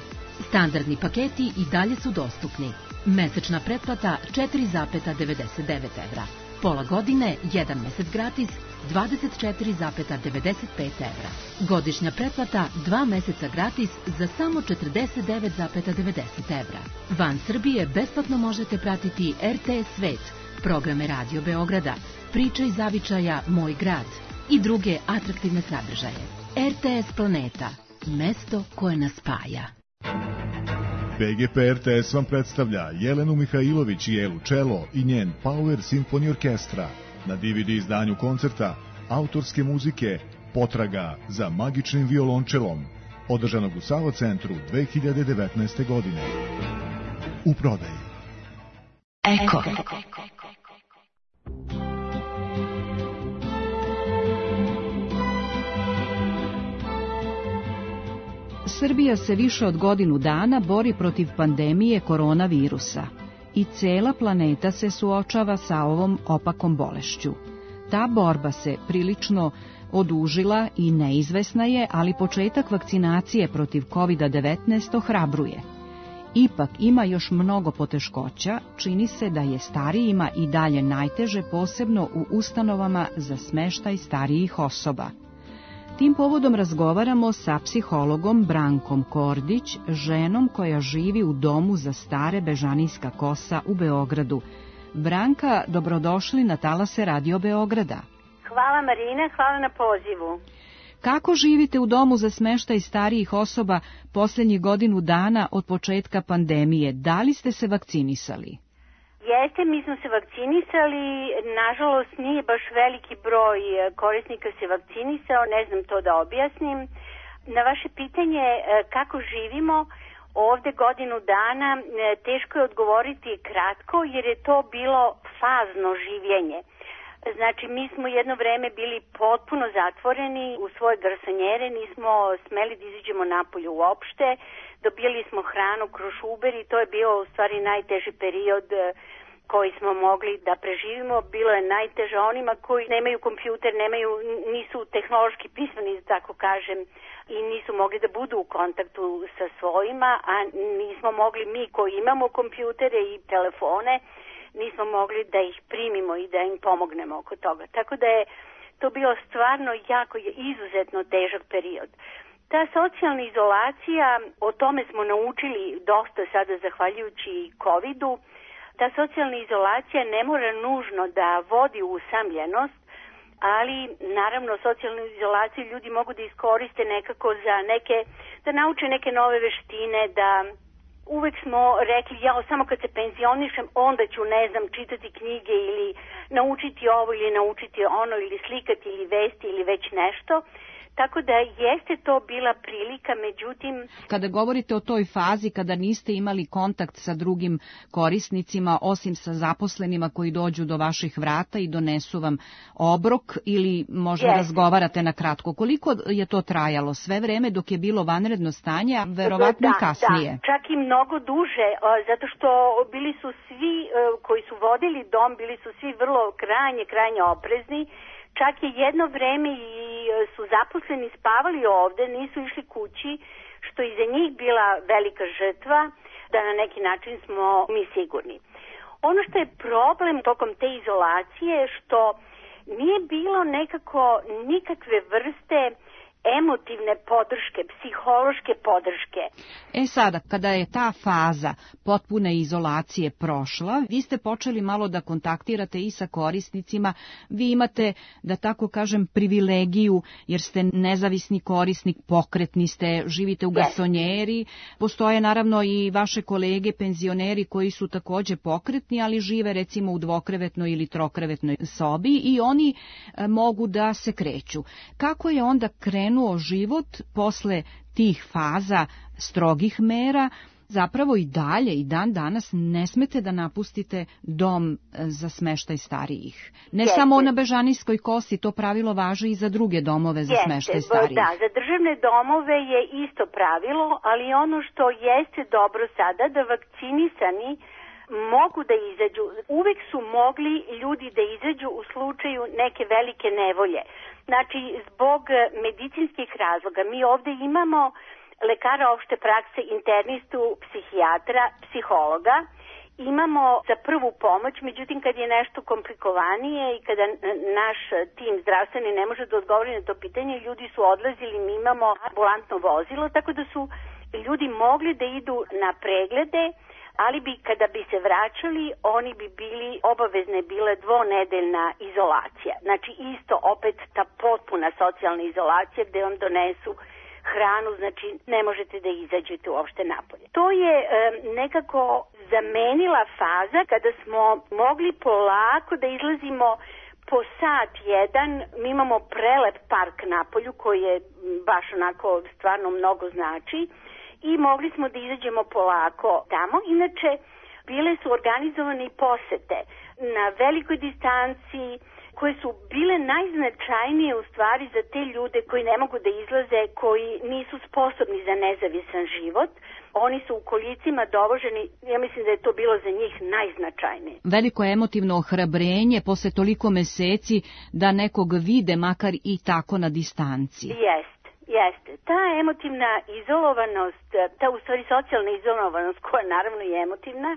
Standardni paketi i dalje su dostupni. Mesečna pretplata 4,99 evra. Pola godine, 1 mesec gratis, 24,95 evra. Godišnja pretplata 2 meseca gratis za samo 49,90 evra. Van Srbije besplatno možete pratiti RTS Svet, programe Radio Beograda, Priče iz zavičaja Moj grad i druge atraktivne sadržaje. RTS Planeta, mesto koje nas spaja. PGP RTS vam predstavlja Jelenu Mihajlović i Elu Čelo i njen Power Symphony Orkestra. Na DVD izdanju koncerta autorske muzike Potraga za magičnim violončelom, održanog u Savo centru 2019. godine. U prodaji. Eko. Srbija se više od godinu dana bori protiv pandemije koronavirusa i cela planeta se suočava sa ovom opakom bolešću. Ta borba se prilično odužila i neizvesna je, ali početak vakcinacije protiv COVID-19 ohrabruje. Ipak ima još mnogo poteškoća, čini se da je starijima i dalje najteže, posebno u ustanovama za smeštaj starijih osoba. Tim povodom razgovaramo sa psihologom Brankom Kordić, ženom koja živi u Domu za stare Bežanijska Kosa u Beogradu. Branka, dobrodošli na talase Radio Beograda. Hvala Marina, hvala na pozivu. Kako živite u Domu za smeštaj starijih osoba posljednjih godinu dana od početka pandemije? Da li ste se vakcinisali? Jeste, mi smo se vakcinisali, nažalost nije baš veliki broj korisnika se vakcinisao, ne znam to da objasnim. Na vaše pitanje kako živimo ovde godinu dana, teško je odgovoriti kratko jer je to bilo fazno življenje. Znači, mi smo jedno vreme bili potpuno zatvoreni u svoje garsonjere, nismo smeli da izađemo napolje uopšte, dobijali smo hranu kroz Uber i to je bio u stvari najteži period koji smo mogli da preživimo. Bilo je najteže onima koji nemaju kompjuter, nisu tehnološki pismeni, tako kažem, i nisu mogli da budu u kontaktu sa svojima, a nismo mogli mi koji imamo kompjutere i telefone, nismo mogli da ih primimo i da im pomognemo oko toga. Tako da je to bio stvarno jako izuzetno težak period. Ta socijalna izolacija, o tome smo naučili dosta sada zahvaljujući COVID-u. Ta socijalna izolacija ne mora nužno da vodi u usamljenost, ali naravno socijalnu izolaciju ljudi mogu da iskoriste nekako za da nauče neke nove veštine, da uvek smo rekli, samo kad se penzionišem, onda ću, čitati knjige ili naučiti ovo ili naučiti ono ili slikati ili vesti ili već nešto. Tako da jeste to bila prilika, međutim... Kada govorite o toj fazi, kada niste imali kontakt sa drugim korisnicima, osim sa zaposlenima koji dođu do vaših vrata i donesu vam obrok ili možda razgovarate na kratko, koliko je to trajalo? Sve vreme dok je bilo vanredno stanje, a verovatno i kasnije? Da, čak i mnogo duže, zato što bili su svi koji su vodili dom, bili su svi vrlo krajnje oprezni. Čak je jedno vreme i su zaposleni spavali ovde, nisu išli kući, što je za njih bila velika žrtva, da na neki način smo mi sigurni. Ono što je problem tokom te izolacije, što nije bilo nekako nikakve vrste emotivne podrške, psihološke podrške. Sada, kada je ta faza potpune izolacije prošla, vi ste počeli malo da kontaktirate i sa korisnicima. Vi imate, da tako kažem, privilegiju, jer ste nezavisni korisnik, pokretni ste, živite u garsonjeri. Postoje naravno i vaše kolege penzioneri koji su takođe pokretni, ali žive recimo u dvokrevetnoj ili trokrevetnoj sobi i oni mogu da se kreću. Kako je onda krenuo život posle tih faza strogih mera? Zapravo i dalje, i dan danas ne smete da napustite dom za smeštaj starijih. Ne samo na Bežanijskoj kosi, to pravilo važi i za druge domove za smeštaj starijih. Da, za državne domove je isto pravilo, ali ono što jeste dobro sada, da vakcinisani mogu da izađu. Uvek su mogli ljudi da izađu u slučaju neke velike nevolje. Znači, zbog medicinskih razloga mi ovde imamo lekara opšte prakse, internistu, psihijatra, psihologa. Imamo za prvu pomoć, međutim kad je nešto komplikovanije i kada naš tim zdravstveni ne može da odgovori na to pitanje, ljudi su odlazili, mi imamo ambulantno vozilo, tako da su ljudi mogli da idu na preglede, ali kada bi se vraćali, oni bi bili, obavezne bile dvonedeljna izolacija. Znači isto opet ta potpuna socijalna izolacija gde vam donesu hranu, znači ne možete da izađete uopšte napolje. To je nekako zamenila faza kada smo mogli polako da izlazimo po sat jedan. Mi imamo prelep park napolju koji je baš onako stvarno mnogo znači. I mogli smo da izađemo polako tamo. Inače, bile su organizovane i posete na velikoj distanciji koje su bile najznačajnije u stvari za te ljude koji ne mogu da izlaze, koji nisu sposobni za nezavisan život. Oni su u kolicima dovoženi, ja mislim da je to bilo za njih najznačajnije. Veliko emotivno ohrabrenje posle toliko meseci da nekog vide makar i tako na distanci. Jeste. Ta emotivna izolovanost, ta u stvari socijalna izolovanost koja naravno je emotivna,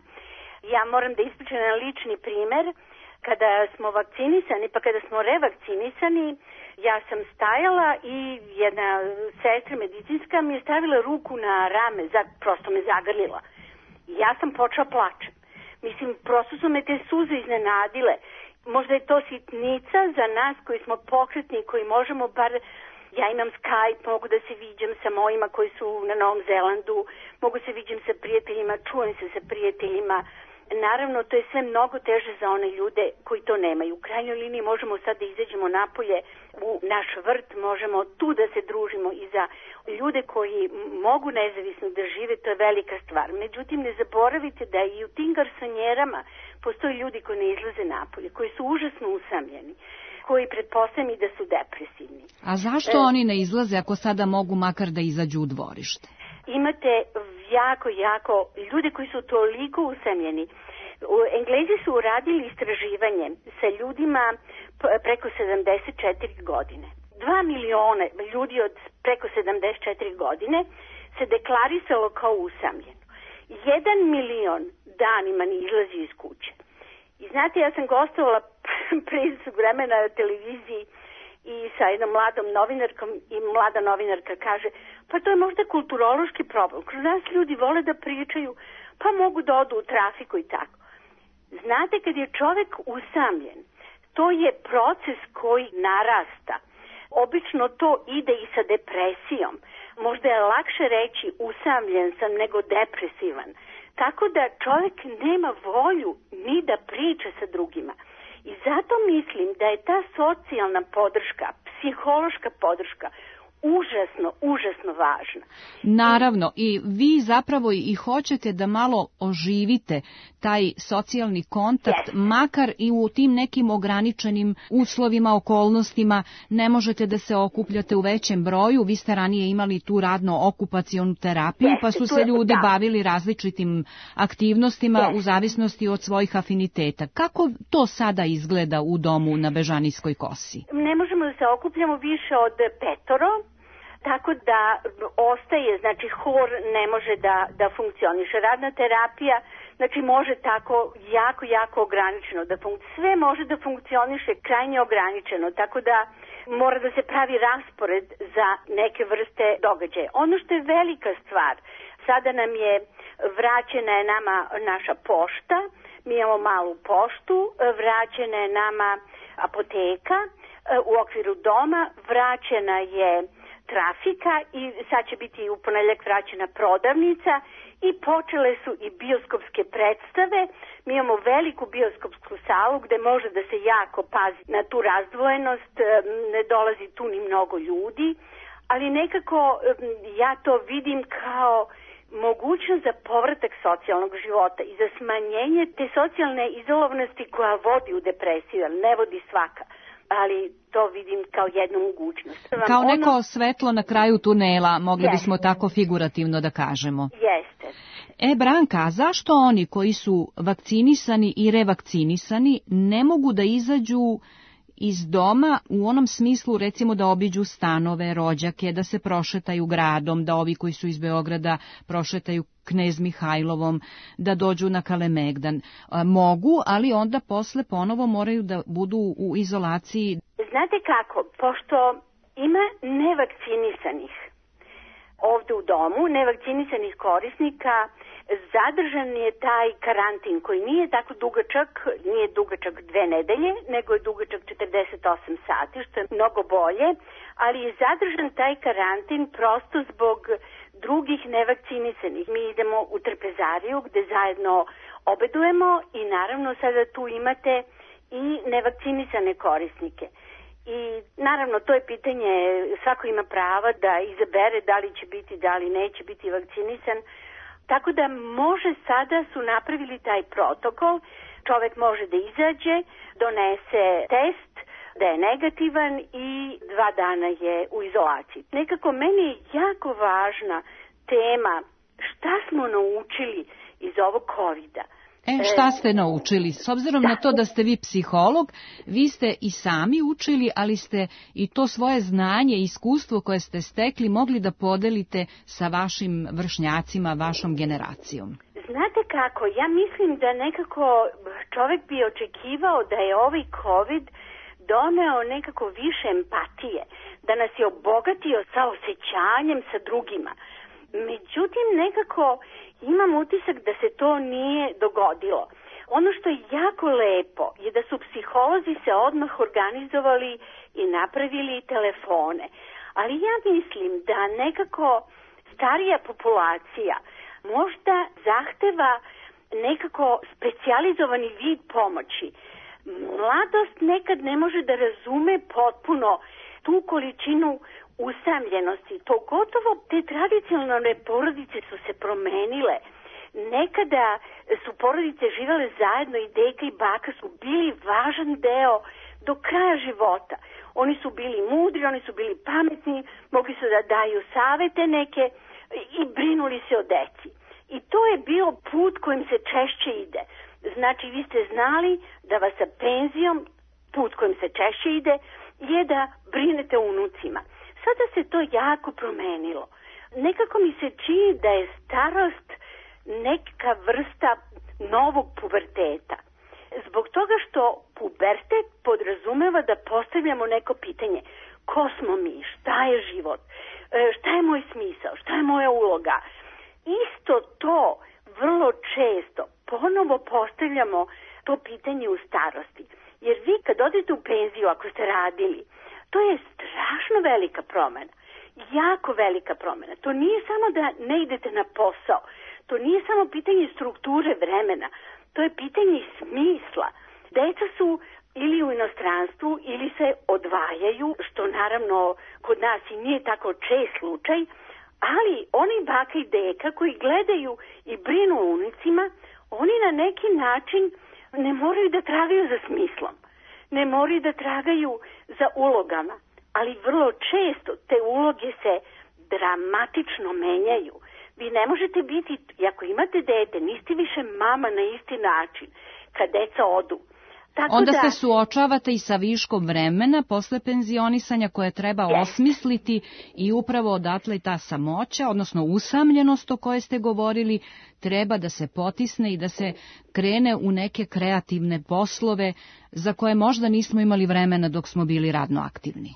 ja moram da ispričam na lični primer. Kada smo vakcinisani pa kada smo revakcinisani, ja sam stajala i jedna sestra medicinska mi je stavila ruku na rame, prosto me zagrlila. Ja sam počela plačem. Mislim, prosto su me te suze iznenadile. Možda je to sitnica za nas koji smo pokretni, koji možemo bar... Ja imam Skype, mogu da se viđam sa mojima koji su na Novom Zelandu, mogu se viđam sa prijateljima, čujem se sa prijateljima. naravno to je sve mnogo teže za one ljude koji to nemaju. U krajnjoj liniji možemo sad da izađemo napolje u naš vrt, možemo tu da se družimo i za ljude koji mogu nezavisno da žive, to je velika stvar. Međutim, ne zaboravite da i u tim garsonjerama postoje ljudi koji ne izlaze napolje, koji su užasno usamljeni, koji pretpostavljam i da su depresivni. A zašto oni ne izlaze ako sada mogu makar da izađu u dvorište? Imate jako ljude koji su toliko usamljeni. Englezi su uradili istraživanje sa ljudima preko 74 godine. 2 miliona ljudi od preko 74 godine se deklarisalo kao usamljeno. 1 milion danima ne izlazi iz kuće. I znate, ja sam gostovala pre vremena na televiziji i sa jednom mladom novinarkom i mlada novinarka kaže, pa to je možda kulturološki problem. Kroz nas ljudi vole da pričaju, pa mogu da odu u trafiku i tako. Znate, kad je čovek usamljen, to je proces koji narasta. Obično to ide i sa depresijom. Možda je lakše reći usamljen sam nego depresivan. Tako da čovjek nema volju ni da priča sa drugima. I zato mislim da je ta socijalna podrška, psihološka podrška užasno važna. Naravno, i vi zapravo i hoćete da malo oživite taj socijalni kontakt, makar i u tim nekim ograničenim uslovima, okolnostima, ne možete da se okupljate u većem broju. Vi ste ranije imali tu radno-okupacionu terapiju, pa su se ljudi bavili različitim aktivnostima u zavisnosti od svojih afiniteta. Kako to sada izgleda u domu na Bežanijskoj kosi? Ne možemo da se okupljamo više od 5. Tako da ostaje, znači hor ne može da funkcioniše. Radna terapija, znači može tako jako ograničeno da funkcioniše. Sve može da funkcioniše krajnje ograničeno, tako da mora da se pravi raspored za neke vrste događaja. Ono što je velika stvar, sada nam je vraćena je nama naša pošta, mi imamo malu poštu, vraćena je nama apoteka u okviru doma, vraćena je trafika i sad će biti u ponedeljak vraćena prodavnica i počele su i bioskopske predstave. Mi imamo veliku bioskopsku salu gde može da se jako pazi na tu razdvojenost, ne dolazi tu ni mnogo ljudi, ali nekako ja to vidim kao mogućnost za povratak socijalnog života i za smanjenje te socijalne izolovanosti koja vodi u depresiju, ali ne vodi svaka. Ali to vidim kao jednu mogućnost. Kao neko svetlo na kraju tunela, mogli bismo tako figurativno da kažemo. Jeste. Branka, a zašto oni koji su vakcinisani i revakcinisani ne mogu da izađu iz doma u onom smislu, recimo da obiđu stanove, rođake, da se prošetaju gradom, da ovi koji su iz Beograda prošetaju Knez Mihajlovom, da dođu na Kalemegdan? Mogu, ali onda posle ponovo moraju da budu u izolaciji. Znate kako, pošto ima nevakcinisanih ovde u domu, nevakcinisanih korisnika, zadržan je taj karantin koji nije tako dugačak, nije dugačak 2 nedelje, nego je dugačak 48 sati, što je mnogo bolje, ali je zadržan taj karantin prosto zbog drugih nevakcinisanih. Mi idemo u trpezariju gde zajedno obedujemo i naravno sada tu imate i nevakcinisane korisnike. I naravno to je pitanje, svako ima prava da izabere da li će biti, da li neće biti vakcinisan. Tako da može, sada su napravili taj protokol, čovek može da izađe, donese test, da je negativan i 2 dana je u izolaciji. Nekako meni je jako važna tema šta smo naučili iz ovog COVID-a. Šta ste naučili? S obzirom na to da ste vi psiholog, vi ste i sami učili, ali ste i to svoje znanje i iskustvo koje ste stekli mogli da podelite sa vašim vršnjacima, vašom generacijom. Znate kako, ja mislim da nekako čovek bi očekivao da je ovaj COVID doneo nekako više empatije, da nas je obogatio sa osjećanjem sa drugima. Međutim, nekako imam utisak da se to nije dogodilo. Ono što je jako lepo je da su psiholozi se odmah organizovali i napravili telefone. Ali ja mislim da nekako starija populacija možda zahteva nekako specijalizovani vid pomoći. Mladost nekad ne može da razume potpuno tu količinu usamljenosti. Pogotovo te tradicionalne porodice su se promenile. Nekada su porodice živele zajedno i deka i baka su bili važan deo do kraja života. Oni su bili mudri, oni su bili pametni, mogli su da daju savete neke i brinuli se o deci. I to je bio put kojim se češće ide. Znači, vi ste znali da vas sa penzijom, put kojim se češće ide, je da brinete o unucima. Sada se to jako promenilo. Nekako mi se čini da je starost neka vrsta novog puberteta. Zbog toga što pubertet podrazumeva da postavljamo neko pitanje. Ko smo mi? Šta je život? Šta je moj smisao? Šta je moja uloga? Isto to vrlo često ponovo postavljamo to pitanje u starosti. Jer vi kad odete u penziju, ako ste radili, to je strašno velika promena. Jako velika promena. To nije samo da ne idete na posao. To nije samo pitanje strukture vremena. To je pitanje smisla. Deca su ili u inostranstvu ili se odvajaju, što naravno kod nas i nije tako čest slučaj, ali oni baka i deka koji gledaju i brinu o unicima, oni na neki način ne moraju da tragaju za smislom, ne moraju da tragaju za ulogama, ali vrlo često te uloge se dramatično menjaju. Vi ne možete biti, ako imate dete, niste više mama na isti način kad deca odu. Tako onda da, se suočavate i sa viškom vremena posle penzionisanja koje treba osmisliti i upravo odatle ta samoća, odnosno usamljenost o kojoj ste govorili, treba da se potisne i da se krene u neke kreativne poslove za koje možda nismo imali vremena dok smo bili radno aktivni.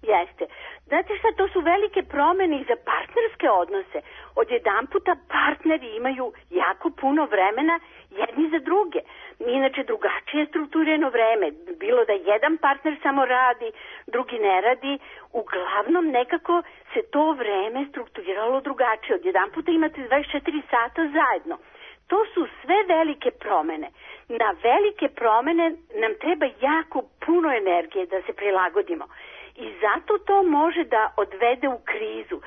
Jeste. Znate šta, to su velike promene i za partnerske odnose. Odjedanputa partneri imaju jako puno vremena jedni za druge. Inače drugačije strukturirano vreme. Bilo da jedan partner samo radi, drugi ne radi. Uglavnom nekako se to vreme strukturiralo drugačije. Odjedanputa imate 24 sata zajedno. To su sve velike promene. Na velike promene nam treba jako puno energije da se prilagodimo. I zato to može da odvede u krizu.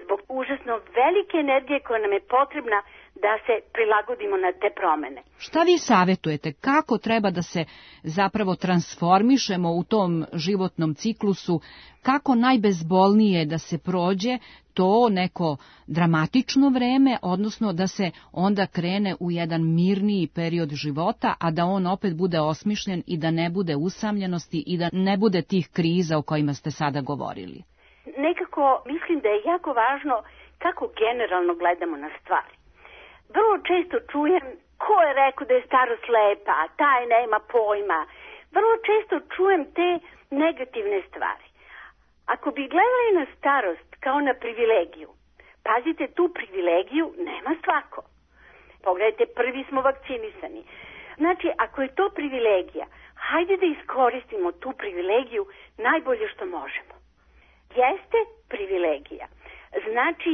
Zbog užasno velike energije koja nam je potrebna da se prilagodimo na te promene. Šta vi savjetujete? Kako treba da se zapravo transformišemo u tom životnom ciklusu? Kako najbezbolnije da se prođe to neko dramatično vreme, odnosno da se onda krene u jedan mirniji period života, a da on opet bude osmišljen i da ne bude usamljenosti i da ne bude tih kriza o kojima ste sada govorili? Nekako mislim da je jako važno kako generalno gledamo na stvari. Vrlo često čujem ko je rekao da je starost lepa, taj nema pojma. Vrlo često čujem te negativne stvari. Ako bi gledali na starost kao na privilegiju, pazite, tu privilegiju nema svako. Pogledajte, prvi smo vakcinisani. Znači, ako je to privilegija, hajde da iskoristimo tu privilegiju najbolje što možemo. Jeste privilegija. Znači,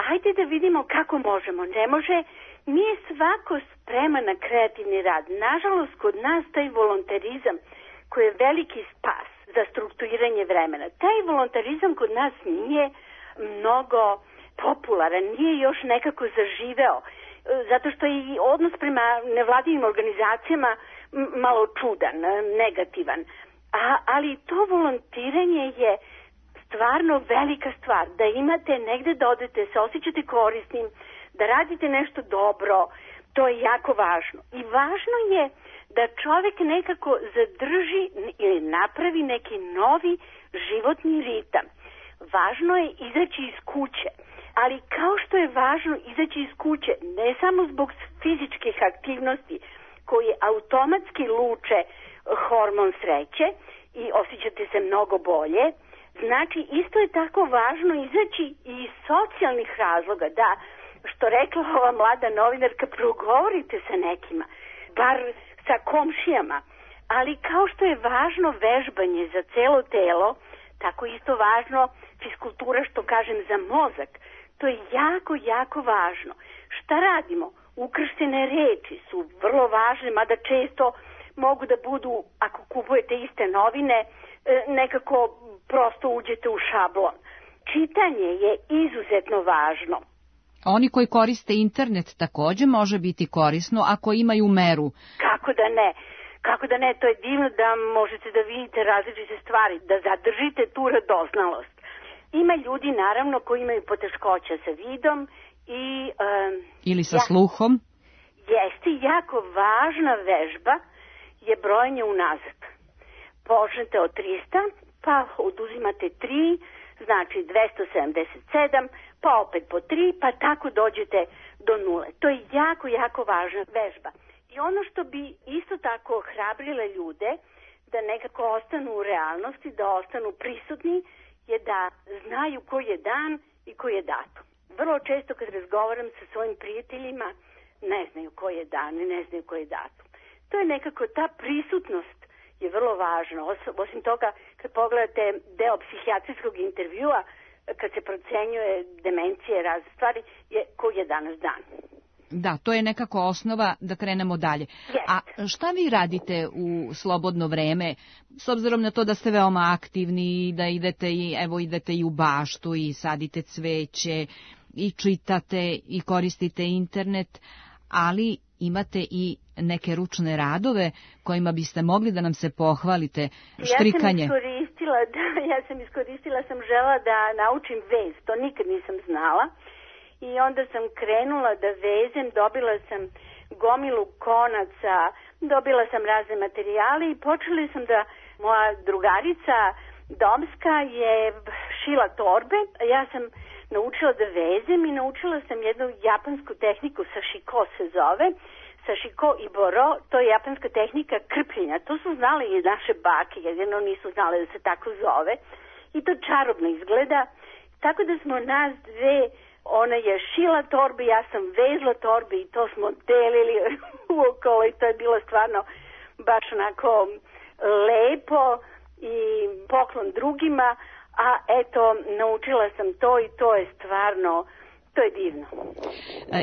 ajde da vidimo kako možemo. Ne može, nije svako spreman na kreativni rad. Nažalost, kod nas taj volontarizam koji je veliki spas za strukturiranje vremena. Taj volontarizam kod nas nije mnogo popularan, nije još nekako zaživeo. Zato što je i odnos prema nevladinim organizacijama malo čudan, negativan. Ali to volontiranje je stvarno velika stvar, da imate negde da odete, se osjećate korisnim, da radite nešto dobro, to je jako važno. I važno je da čovjek nekako zadrži ili napravi neki novi životni ritam. Važno je izaći iz kuće, ali kao što je važno izaći iz kuće, ne samo zbog fizičkih aktivnosti koji automatski luče hormon sreće i osjećate se mnogo bolje, znači, isto je tako važno izaći i iz socijalnih razloga, da, što rekla ova mlada novinarka, progovorite sa nekima, bar sa komšijama, ali kao što je važno vežbanje za celo telo, tako isto važno fiskultura, što kažem, za mozak. To je jako, jako važno. Šta radimo? ukrštene reči su vrlo važne, mada često mogu da budu, ako kupujete iste novine, nekako prosto uđete u šablon. Čitanje je izuzetno važno. Oni koji koriste internet takođe može biti korisno ako imaju meru. Kako da ne? Kako da ne? To je divno da možete da vidite različite stvari, da zadržite tu radoznalost. Ima ljudi, naravno, koji imaju poteškoća sa vidom i... ili sa sluhom. Jeste, jako važna vežba je brojanje unazad. Počnete od 300, pa oduzimate 3, znači 277, pa opet po 3, pa tako dođete do 0. To je jako, jako važna vežba. I ono što bi isto tako hrabrile ljude da nekako ostanu u realnosti, da ostanu prisutni, je da znaju koji je dan i koji je datum. Vrlo često kad razgovaram sa svojim prijateljima, ne znaju koji je dan i ne znaju koji je datum. To je nekako, ta prisutnost je vrlo važna. Osim toga, kad pogledate deo psihijatrijskog intervjua, kad se procenjuje demencije, razne stvari, je koji je danas dan. Da, to je nekako osnova da krenemo dalje. A šta vi radite u slobodno vreme, s obzirom na to da ste veoma aktivni, da idete i u baštu i sadite cveće i čitate i koristite internet, ali imate i neke ručne radove kojima biste mogli da nam se pohvalite, štrikanje. Ja sam iskoristila, sam žela da naučim vez, to nikad nisam znala. I onda sam krenula da vezem, dobila sam gomilu konaca, dobila sam razne materijale i počeli sam da, moja drugarica domska je šila torbe, ja sam naučila da vezem i naučila sam jednu japansku tehniku, sashiko se zove, sashiko i boro, to je japanska tehnika krpljenja, to su znali i naše bake, jedino nisu znali da se tako zove i to čarobno izgleda, tako da smo nas dve, ona je šila torbe, ja sam vezla torbe i to smo delili uokolo i to je bilo stvarno baš onako lepo i poklon drugima, a eto, naučila sam to i to je stvarno, to je divno.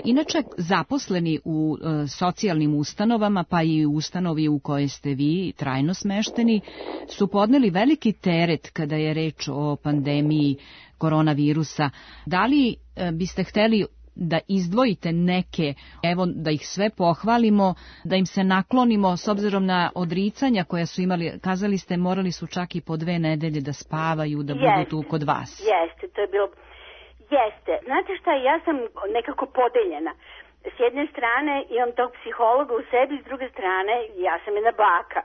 Inače, zaposleni u socijalnim ustanovama, pa i u ustanovi u kojoj ste vi trajno smešteni, su podneli veliki teret kada je reč o pandemiji koronavirusa. Da li biste hteli da izdvojite neke, evo da ih sve pohvalimo, da im se naklonimo s obzirom na odricanja koja su imali, kazali ste morali su čak i po 2 nedelje da spavaju, da budu tu kod vas. Jeste, to je bilo... Jeste. Znate šta, ja sam nekako podeljena. S jedne strane imam tog psihologa u sebi, s druge strane ja sam jedna baka.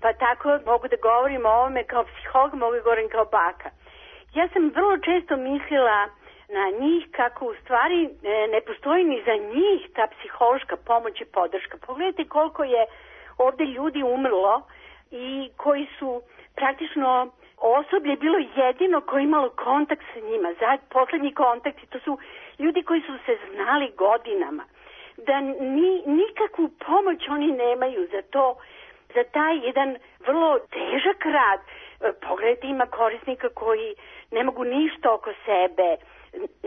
Pa tako mogu da govorim o ovome kao psiholog, mogu da govorim kao baka. Ja sam vrlo često mislila na njih kako u stvari ne postoji ni za njih ta psihološka pomoć i podrška. Pogledajte koliko je ovde ljudi umrlo i koji su praktično osoblje bilo jedino koje je imalo kontakt sa njima. Poslednji kontakt, to su ljudi koji su se znali godinama. Da nikakvu pomoć oni nemaju za to, za taj jedan vrlo težak rad. Pogledajte, ima korisnika koji ne mogu ništa oko sebe.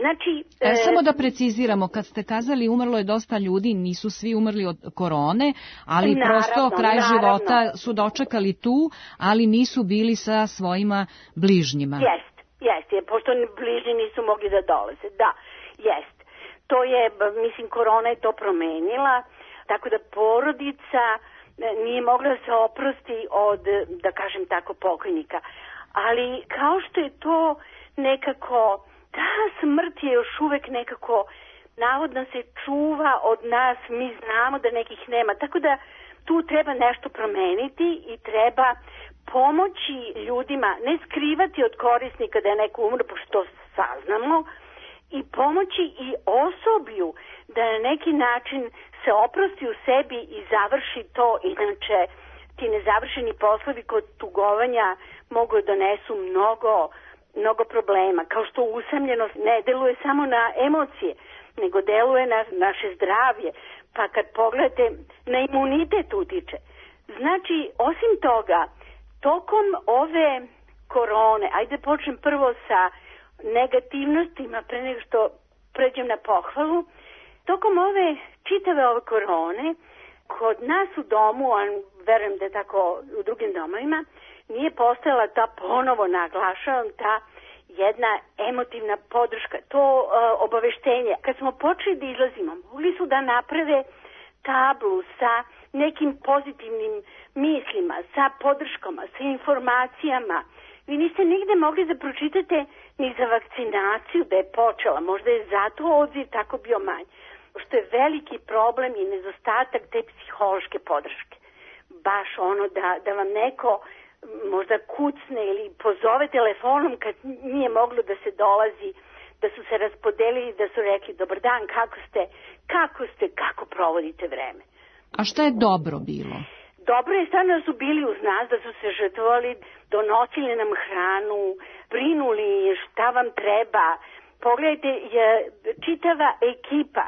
Znači, samo da preciziramo, kad ste kazali umrlo je dosta ljudi, nisu svi umrli od korone, ali naravno, prosto kraj života su dočekali tu, ali nisu bili sa svojima bližnjima. Jeste, pošto bližnji nisu mogli da dolaze, da, jeste. To je, mislim, korona je to promenila, tako da porodica nije mogla da se oprosti od, da kažem tako, pokojnika. Ali kao što je to nekako... Ta smrt je još uvek nekako, navodno se čuva od nas, mi znamo da nekih nema, tako da tu treba nešto promeniti i treba pomoći ljudima, ne skrivati od korisnika da je neko umro, pošto saznamo, i pomoći i osoblju da na neki način se oprosti u sebi i završi to, inače ti nezavršeni poslovi kod tugovanja mogu donesu mnogo problema, kao što usamljenost ne deluje samo na emocije, nego deluje na naše zdravlje, pa kad pogledate, na imunitet utiče. Znači, osim toga, tokom ove korone, ajde počnem prvo sa negativnostima, pre nego što pređem na pohvalu, Tokom čitave ove korone, kod nas u domu, a verujem da je tako u drugim domovima, nije postojala ta, ponovo naglašavam, ta jedna emotivna podrška, to obaveštenje. Kad smo počeli da izlazimo, mogli su da naprave tablu sa nekim pozitivnim mislima, sa podrškama, sa informacijama. Vi niste nigde mogli da pročitate ni za vakcinaciju da je počela. Možda je zato odziv tako bio manj. Što je veliki problem i nedostatak te psihološke podrške. Baš da vam neko možda kucne ili pozove telefonom kad nije moglo da se dolazi, da su se raspodelili, da su rekli dobar dan, kako provodite vreme. A šta je dobro bilo? Dobro je stvarno da su bili uz nas, da su se žrtvovali, donosili nam hranu, brinuli šta vam treba. Pogledajte, čitava ekipa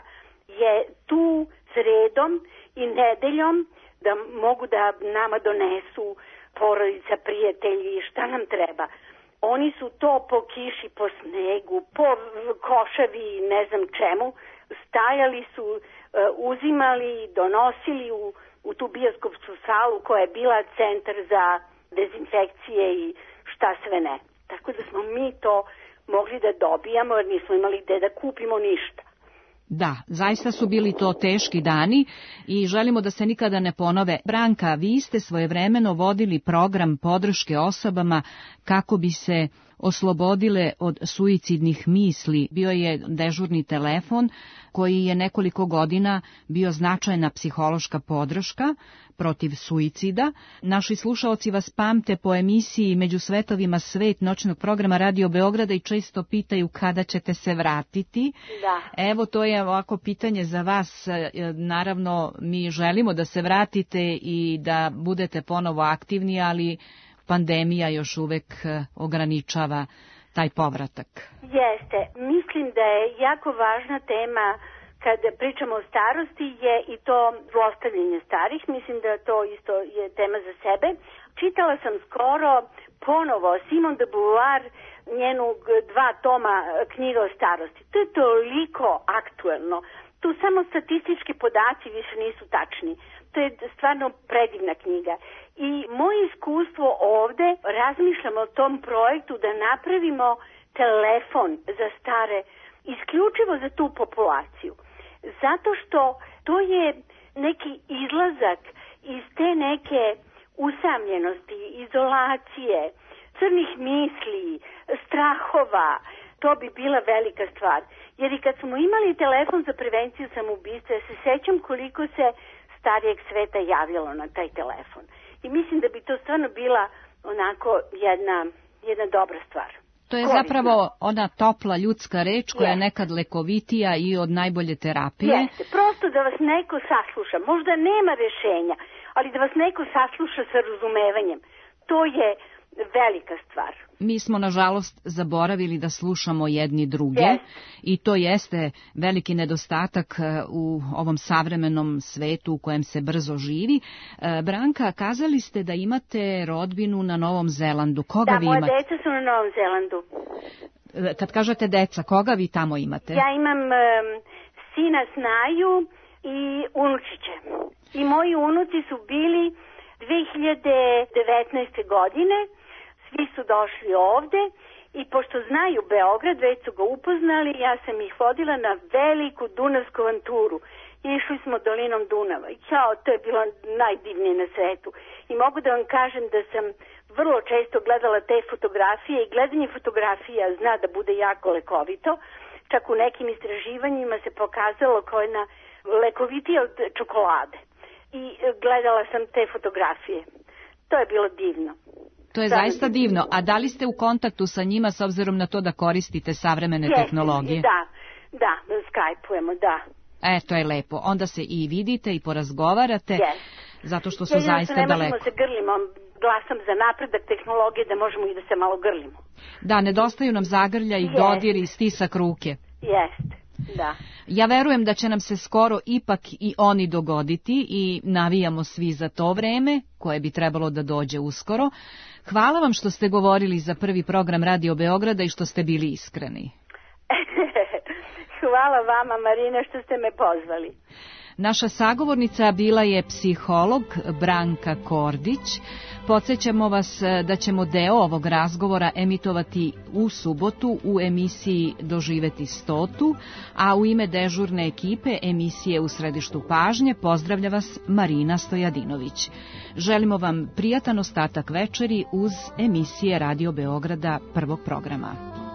je tu sredom i nedeljom da mogu da nama donesu porodica, prijatelji, šta nam treba. Oni su to po kiši, po snegu, po košavi, ne znam čemu, stajali su, uzimali, donosili u tu bioskopsku salu koja je bila centar za dezinfekcije i šta sve ne. Tako da smo mi to mogli da dobijamo jer nismo imali gde da kupimo ništa. Da, zaista su bili to teški dani i želimo da se nikada ne ponove. Branka, vi ste svojevremeno vodili program podrške osobama kako bi se oslobodile od suicidnih misli. Bio je dežurni telefon koji je nekoliko godina bio značajna psihološka podrška protiv suicida. Naši slušaoci vas pamte po emisiji Među svetovima svet noćnog programa Radio Beograda i često pitaju kada ćete se vratiti. Da. Evo, to je ovako pitanje za vas. Naravno, mi želimo da se vratite i da budete ponovo aktivni, ali pandemija još uvek ograničava taj povratak. Jeste. Mislim da je jako važna tema kad pričamo o starosti je i to zlostavljanje starih. Mislim da to isto je tema za sebe. Čitala sam skoro ponovo Simone de Beauvoir, njenu 2 toma knjiga o starosti. To je toliko aktuelno. Tu samo statistički podaci više nisu tačni. To je stvarno predivna knjiga. I moje iskustvo ovde, razmišljamo o tom projektu da napravimo telefon za stare, isključivo za tu populaciju. Zato što to je neki izlazak iz te neke usamljenosti, izolacije, crnih misli, strahova. To bi bila velika stvar. Jer i kad smo imali telefon za prevenciju samoubistva, ja se sećam koliko se starijeg sveta javljalo na taj telefon. I mislim da bi to stvarno bila onako jedna dobra stvar. To je zapravo ona topla ljudska reč koja je nekad lekovitija i od najbolje terapije. Jeste, prosto da vas neko sasluša. Možda nema rešenja, ali da vas neko sasluša sa razumevanjem. To je velika stvar. Mi smo, nažalost, zaboravili da slušamo jedni druge i to jeste veliki nedostatak u ovom savremenom svetu u kojem se brzo živi. Branka, kazali ste da imate rodbinu na Novom Zelandu. Koga vi imate? Da, moja deca su na Novom Zelandu. Kad kažete deca, koga vi tamo imate? Ja imam sina Snaju i unučiće. I moji unuci su bili 2019. godine. Svi su došli ovde i pošto znaju Beograd, već su ga upoznali, ja sam ih vodila na veliku dunavsku avanturu. Išli smo dolinom Dunava. To je bilo najdivnije na svetu. I mogu da vam kažem da sam vrlo često gledala te fotografije i gledanje fotografija zna da bude jako lekovito. Čak u nekim istraživanjima se pokazalo kao jedna lekovitija od čokolade. I gledala sam te fotografije. To je bilo divno. To je zaista divno. A da li ste u kontaktu sa njima s obzirom na to da koristite savremene tehnologije? Da, skajpujemo, da. To je lepo. Onda se i vidite i porazgovarate, zato što su zaista daleko. Ne možemo se grlimo, glasam za napredak tehnologije da možemo i da se malo grlimo. Da, nedostaju nam zagrlja i dodir i stisak ruke. Jeste, da. Ja verujem da će nam se skoro ipak i oni dogoditi i navijamo svi za to vreme, koje bi trebalo da dođe uskoro. Hvala vam što ste govorili za prvi program Radio Beograda i što ste bili iskreni. hvala vama, Marina, što ste me pozvali. Naša sagovornica bila je psiholog Branka Kordić. Podsjećamo vas da ćemo deo ovog razgovora emitovati u subotu u emisiji Doživeti 100, a u ime dežurne ekipe emisije U središtu pažnje pozdravlja vas Marina Stojadinović. Želimo vam prijatan ostatak večeri uz emisije Radio Beograda prvog programa.